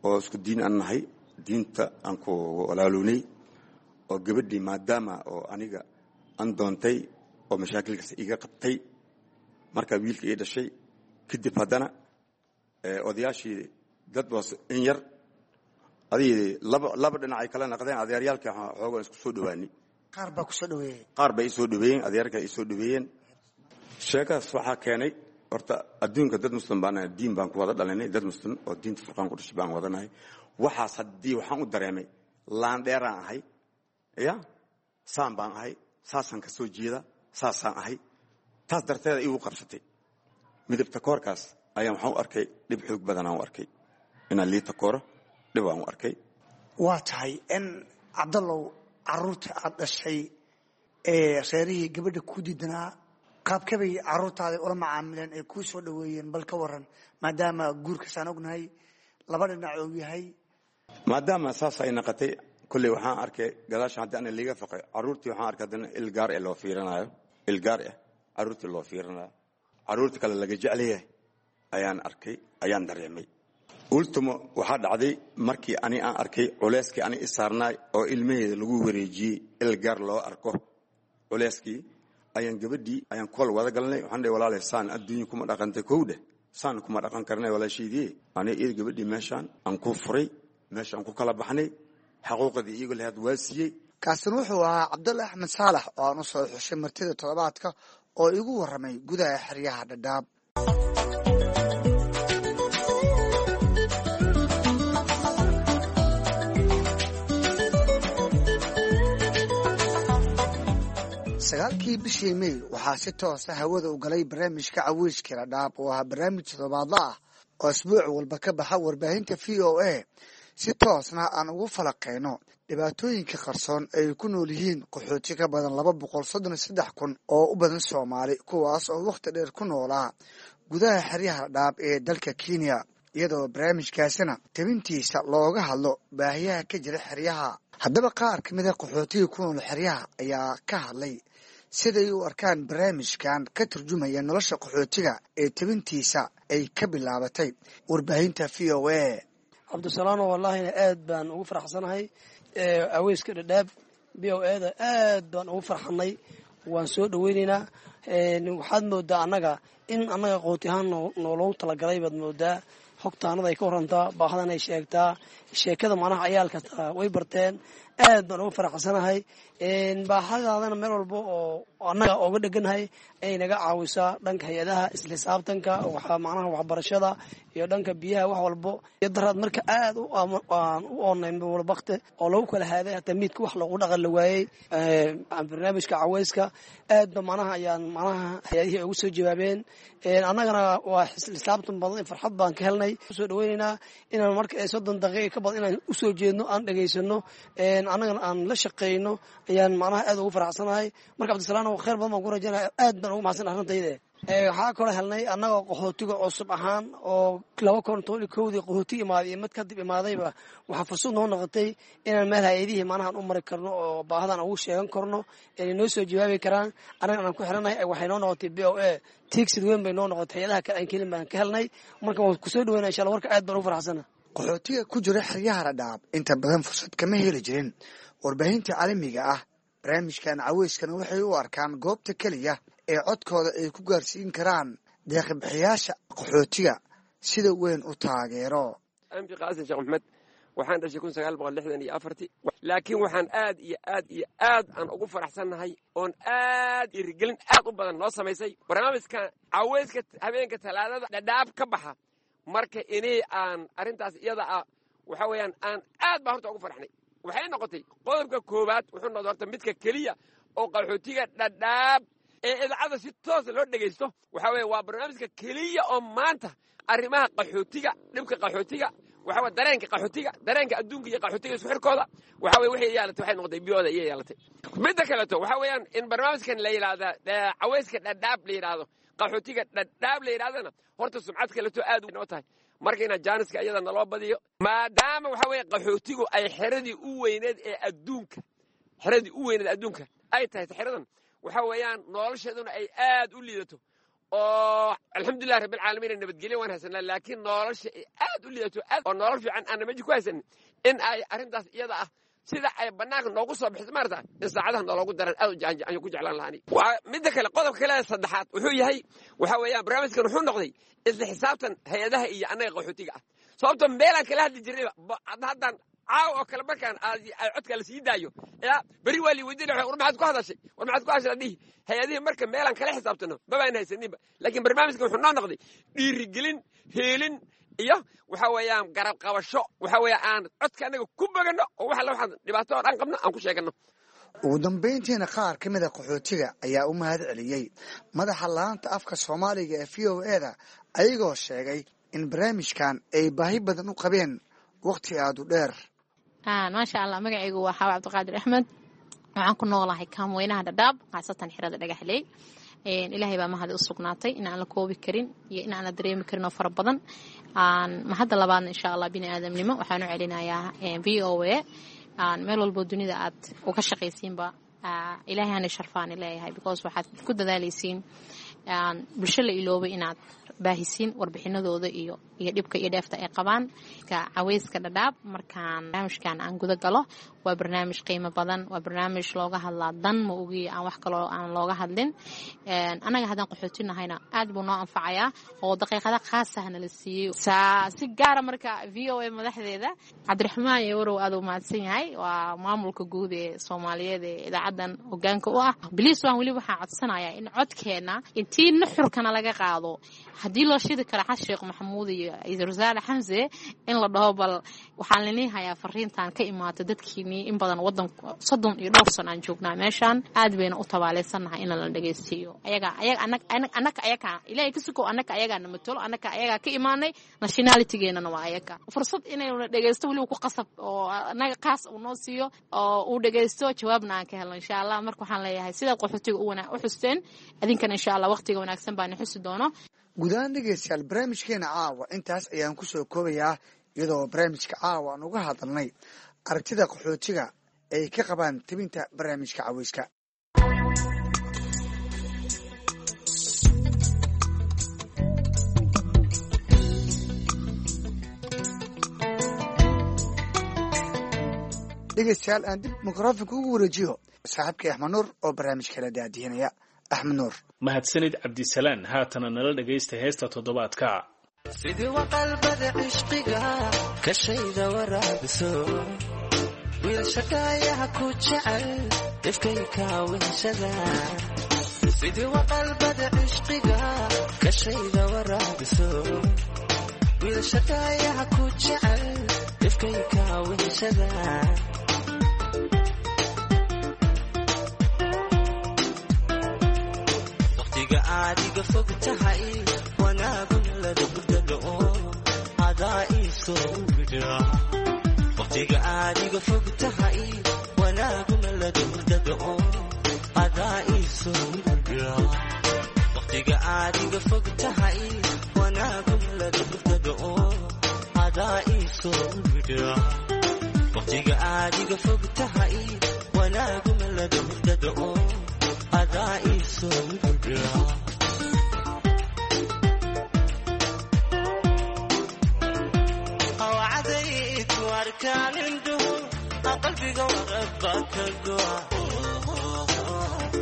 oo isku diin aan nahay, diinta aan ku walaaloonay, oo gabadhii maadaama oo aniga aan doontay oo mashaakilkaas iga qabtay, markaa wiilka ii dhashay kadib, haddana odayaashii dad was in yar adig laba laba dhinac ay kala naqdeen. Adeeryaalkii xoogaa isku soo dhawaanay. Qaar baa ku soo dhaweeyey? Qaar bay isoo dhaweeyeen, adeerka ay soo dhaweeyeen. Sheekadaas waxaa keenay horta adduunka dad muslim baan nahay, diin baan ku wada dhalinay, dad muslim oo diinta Furqaan ku dhashay baan wadanahay. Waxaas haddii waxaan u dareemay laandheeraan ahay, ya saan baan ahay, saasaan ka soo jeeda, saasaan ahay. Taas darteeda igu qabsatay midabta koorkaas ayaan waxaan u arkay dhib xoog badanaan u arkay, inaan liita kooro dhib aan u arkay. Waa tahay in Cabdallow, caruurta aad dhashay ee reerihii gabadha ku diidanaa, qaabkabay caruurtaada ula macaamileen ee kuu soo dhaweeyeen? Bal ka waran, maadaama guurkaasaan ognahay laba dhinac og yahay. Maadaama saas ay naqatay, kolley waxaan arkay gadaasha haddii ana liiga faqay carruurtii, waxaan arkay haddana il gaar eh loo fiirinayo, il gaar ah carruurtii loo fiirinayo, carruurta kale laga jecel yahay ayaan arkay, ayaan dareemay. Ultimo waxaa dhacday markii ani aan arkay culeyskii ani i saarnaay oo ilmaheeda lagu wareejiyey, il gaar loo arko. Culeyskii ayaan gabadhii ayaan kool wada galnay. Waxaan dhahay, walaalay, saan adduunya kuma dhaqantay kowdheh, saan kuma dhaqan karnay walaashaydii. Ani iyada gabadhii meeshaan aan ku furay, meeshaan ku kala baxnay, xaquuqdii iyago lahayd waa siiyey. Kaasina wuxuu ahaa Cabdulla Axmed Saalax oo aan u soo xushay martida toddobaadka oo igu warramay gudaha xeryaha Dhadhaab. Sagaalkii bishii May waxaa si toosa hawada u galay barnaamijka Caweyska Dhadhaab oo ahaa barnaamij toddobaadla ah oo isbuuc walba ka baxa warbaahinta V O A, si toosna aan ugu falaqeyno dhibaatooyinka qarsoon ay ku nool yihiin qaxooti ka badan laba boqol soddon iyo saddex kun oo u badan Soomaali, kuwaas oo wakhti dheer ku noolaa gudaha xeryaha Dhadhaab ee dalka Kenya, iyadoo barnaamijkaasina tabintiisa looga hadlo baahiyaha ka jira xeryaha. Haddaba qaar ka mid a qaxootiga ku nool xeryaha ayaa ka hadlay siday u arkaan barnaamijkan ka turjumaya nolosha qaxootiga ee tabintiisa ay ka bilaabatay warbaahinta V O A. Cabdisalaano, wallaahina aad baan ugu faraxsanahay Caweyska Dhadhaab V O A da, aad baan ugu farxanay, waan soo dhaweynaynaa. Waxaad moodaa annaga in annaga qooti ahaan nooloogu talagalay baad moodaa. Xogtaanada ay ka warantaa, baahadan ay sheegtaa, sheekada macnaha ciyaalka way barteen. Aad baan ugu faraxsanahay. Baahadaadana meel walba oo annaga ooga dheganahay ayay naga caawisaa, dhanka hay-adaha, isla xisaabtanka, macnaha waxbarashada iyo dhanka biyaha, wax walbo. Iyo daraad marka aad aan u oonnay walbakte oo lagu kala haaday, hataa miidka wax loogu dhaqan la waayey. Barnaamijka caweyska aad ba macnaha ayaan macnaha hay-adihii ugu soo jawaabeen, annagana waa xisaabtan badan, farxad baan ka helnay. Usoo dhaweynaynaa inaan marka soddon daqiiqa ka badan inaan usoo jeedno, aan dhegaysano, annagana aan la shaqeyno ayaan macnaha aad ugu faraxsanahay. Marka Cabdisalaam, khayr badan baan ku rajaynaya, aad baan ugu mahadsan arrintayda. Waxaa kaloo helnay annagoo qaxootiga cusub ahaan oo laba kun toban iyo kowdii qaxooti imaaday iyo mid kadib imaadayba, waxaa fursad noo noqotay inaan meel hay-adihii macnahan u mari karno oo baahadan ugu sheegan karno, inay noo soo jawaabi karaan, annaga aan ku xiranahay. Waxay noo noqotay B O A tiigsid weyn bay noo noqotay, hay-adaha kale aan kelin baan ka helnay. Marka waan kusoo dhaweyna insha Allah, warka aad baan ugu faraxsana. Qaxootiga ku jira xeryaha Dhadhaab inta badan fursad kama heli jirin warbaahinta caalamiga ah. Barnaamijkan caweyskana waxay u arkaan goobta keliya ee codkooda ay ku gaarsiin karaan deeqbixiyaasha qaxootiga sida weyn u taageero. Anfi Qaasim Sheekh Maxmed, waxaan dhashay kun sagaal boqol lixdan iyo afartii, laakiin waxaan aad iyo aad iyo aad aan ugu faraxsannahay oon aad irigelin aad u badan noo samaysay barnaamijka caweyska habeenka Talaadada Dhadhaab ka baxa. Marka inay aan arrintaas iyada ah waxa weeyaan aan aad baa horta ugu farxnay. Waxay noqotay qodobka koowaad, wuxuu noqday horta midka keliya oo qaxootiga Dhadhaab ee idaacadda si toosa loo dhegaysto. Waxa weeye waa barnaamijka keliya oo maanta arrimaha qaxootiga, dhibka qaxootiga, waxa weye dareenka qaxootiga, dareenka adduunka iyo qaxootiga isku xirkooda, waxa weye waxay yeelatay, waxay noqotay biyooda iyo yeelatay. Midda kaleeto waxa weeyaan in barnaamijkan la yidhaahda Caweyska Dhadhaab la yidhaahdo, qaxootiga Dhadhaab la yidhahdana, horta sumcad kaleeto aad noo tahay. Marka inaa jaaniska iyada naloo badiyo, maadaama waxa weeye qaxootigu ay xeradii u weyneed ee adduunka, xeradii u weyneed adduunka ay tahay xeradan, waxa weeyaan nolosheeduna ay aad u liidato oo alxamdulilah rabbilcaalamiin nabadgelyo waan haysanaa, laakiin nolosha ay aad u liidato aad oo nolol fiican aan meji ku haysanin, in ay arrintaas iyada ah sida ay bannaanka noogu soo bixiso maarata in saacadaha nooloogu daran aad u ku jeclaan lahaani. Midda kale, qodobka kale saddexaad wuxuu yahay waxa weeyaan barnaamijkan wuxuu noqday isla xisaabtan hay-adaha iyo annaga qaxootiga ah, sababto meelaan kala hadli jirnayba haddaan caaw oo kale markaan codka la sii daayo ya beri waa lii weydiinaya, war maxaad ku hadashay, war maxaad ku hadashay dhihi hay-adihii. Marka meelaan kala xisaabtano mabaan haysaninba, laakiin barnaamijkan wuxuu noo noqday dhiirigelin, heelin iyo waxa weeyaan garab qabasho, waxa weeye aan codka annaga ku boganno oo wax alla waxaan dhibaato oo dhan qabno aan ku sheeganno. Ugu dambayntiina qaar ka mid a qaxootiga ayaa u mahad celiyey madaxa laanta afka Soomaaliga ee V O A da, ayagoo sheegay in barnaamijkan ay baahi badan u qabeen waqti aada u dheer. Maasha Allah, magacaygu waa Xaawa Cabdiqaadir Axmed, waxaan ku noolahay kaamweynaha Dhadhaab, khaasatan xirada Dhagaxley. Ilaahay baa mahadi u sugnaatay in aan la koobi karin iyo in aan la dareemi karin oo fara badan. Mahadda labaadna insha Allah bini aadamnimo waxaan u celinayaa V O A. Meel walbo dunida aad uga shaqaysiinba Ilaahay hana sharfaani leeyahay, because waxaad ku dadaalaysiin bulsho la iloobay inaad baahisiin warbixinadooda iyo iyo dhibka iyo dheefta ay qabaan. Caweyska Dhadhaab markaan barnaamijkan aan guda galo, waa barnaamij qiimo badan, waa barnaamij looga hadlaa dan ma ogiyo aan wax kaloo aan looga hadlin. Annaga haddaan qaxootinahayna aad buu noo anfacayaa oo daqiiqada khaasah nala siiyey si gaara. Marka V O A madaxdeeda Cabdiraxmaan iyo Warow aad u mahadsan yahay, waa maamulka guud ee Soomaaliyeed ee idaacadan hogaanka u ah. Bliis waan weli waxaan codsanayaa in codkeena intii nuxurkana laga qaado, haddii loo shidi karo Xasan Sheekh Maxamuud iyo ra-iisul wasaare Xamse, in la dhaho bal waxaan liniin hayaa fariintan ka imaata dadkiinii in badan wadan soddon iyo dhowr sano aan joognaa meeshaan, aad bayna u tabaaleysannahay in la dhegeystiiyo ayaga ayaga annaka ayaga Ilaahay ka suko, annaka ayagaa na matalo, annaka ayagaa ka imaanay, nationalitygeenana waa ayaga. Fursad inayna dhegeysto weliba ku qasab oo annaga qaas uu noo siiyo oo uu dhegeysto, jawaabna aan ka helno insha Allah. Marka waxaan leeyahay sidaad qaxootiga u xusteen adinkana insha Allah waqtiga wanaagsan baana xusi doono. Guud ahaan dhegeystayaal, barnaamijkeena caawa intaas ayaan kusoo koobayaa, iyadoo barnaamijka caawa aan uga hadalnay aragtida qaxootiga ay ka qabaan tebinta barnaamijka caweyska. Dhegeystayaal, aan dib mikrofonka ugu wareejiyo saaxiibkay Axmed Nuur oo barnaamijka la daadihinaya. Axmed Nuur. Mahadsanid Cabdisalaan. Haatana nala dhagaysta heesta toddobaadka. Sidii waqalbada cishqiga kashayda waraabiso, wiilshakaayaha ku jecel ifkayka weheshada. Sidii waqalbada cishqiga kashayda waraabiso, wiilshakaayaha ku jecel ifkayka weheshada. Waqtiga aadiga fog tahay wanaagun ladabdalo adaa iisoo widha. Waqtiga aadiga fog tahay wanaaguna ladabdalo adaa iisoo widha. Waqtiga aadiga fog tahay wanaaguna ladabdalo adaa iisoo widha. Waqtiga aadiga fog tahay wanaaguna ladabdalo adaa iisoo widha. Qalbiga warabba ka go'a,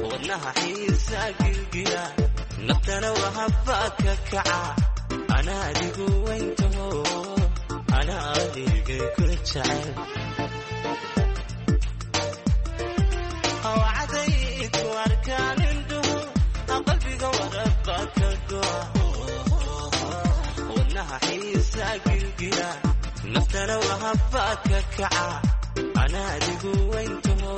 wadnaha xiisa gilgila, naftana wahabba ka kaca. Ana adigu weyntaho, ana adigay ku jecel. Wacdayku arkaan indhuhu, qalbiga warabba ka go'a, wadnaha xiisa gilgila, naftana wahabba ka kaca. Ana adigu weyntaho,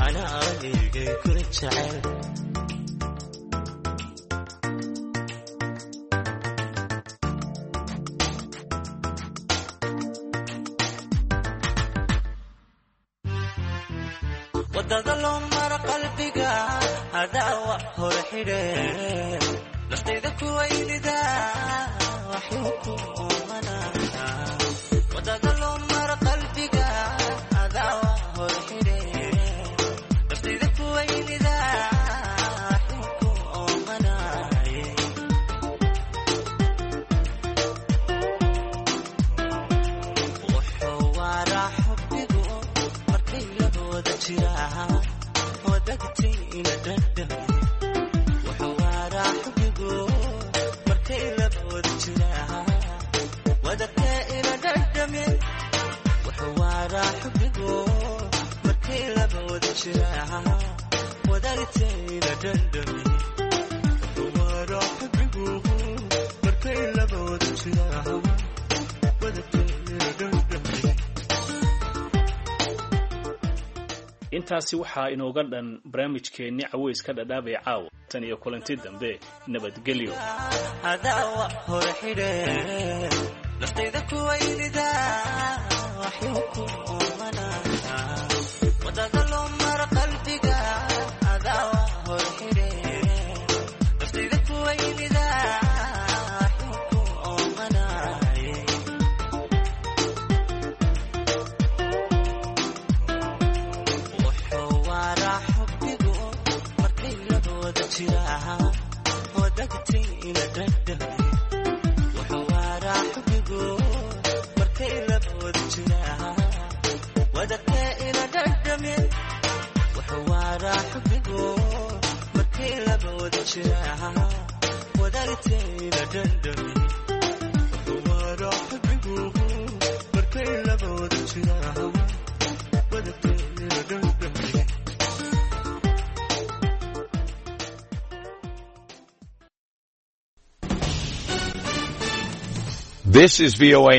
ana adigay ku jecel. Wadada loo mara qalbiga hadaawa hore xidhe, naftayda kuwaynida waxuu ku oomana. Wadada loo mara qalbiga hadaawa hore xidhe, naftayda kuwaynida waxuu ku oomanaye. Wuxuu waraa xubbigu markay labooda jiraa wadagtayna dhadhame. Wuxuu waraa xubbigu markay labooda jiraa wadagtayna dhadhame. Wuxuu waraa xubbigu markay labooda jiraa wadagtayna dhadhame. Wuxuu waraa xubbigu markay labooda jiraa wadagtayna dhadhame. Intaasi waxaa inooga dhan barnaamijkeenni caweyska Dhadhaab ee caawa. Tan iyo kulanti dambe, nabadgelyo. Hadaawa hore xidhe, naftayda kuwaynida waxuu ku oomana. Wadada loo mara qalbiga hadaawa hore xidhe, naftayda kuwaynida waxuu ku oomanaye. Wuxuu waraa xubbigu markay labooda jiraa wadagtayna dhadhame. wadagteeda dhandhami waara xabigu markay labooda jiraan wadagteeda dhandhami. This is V O A.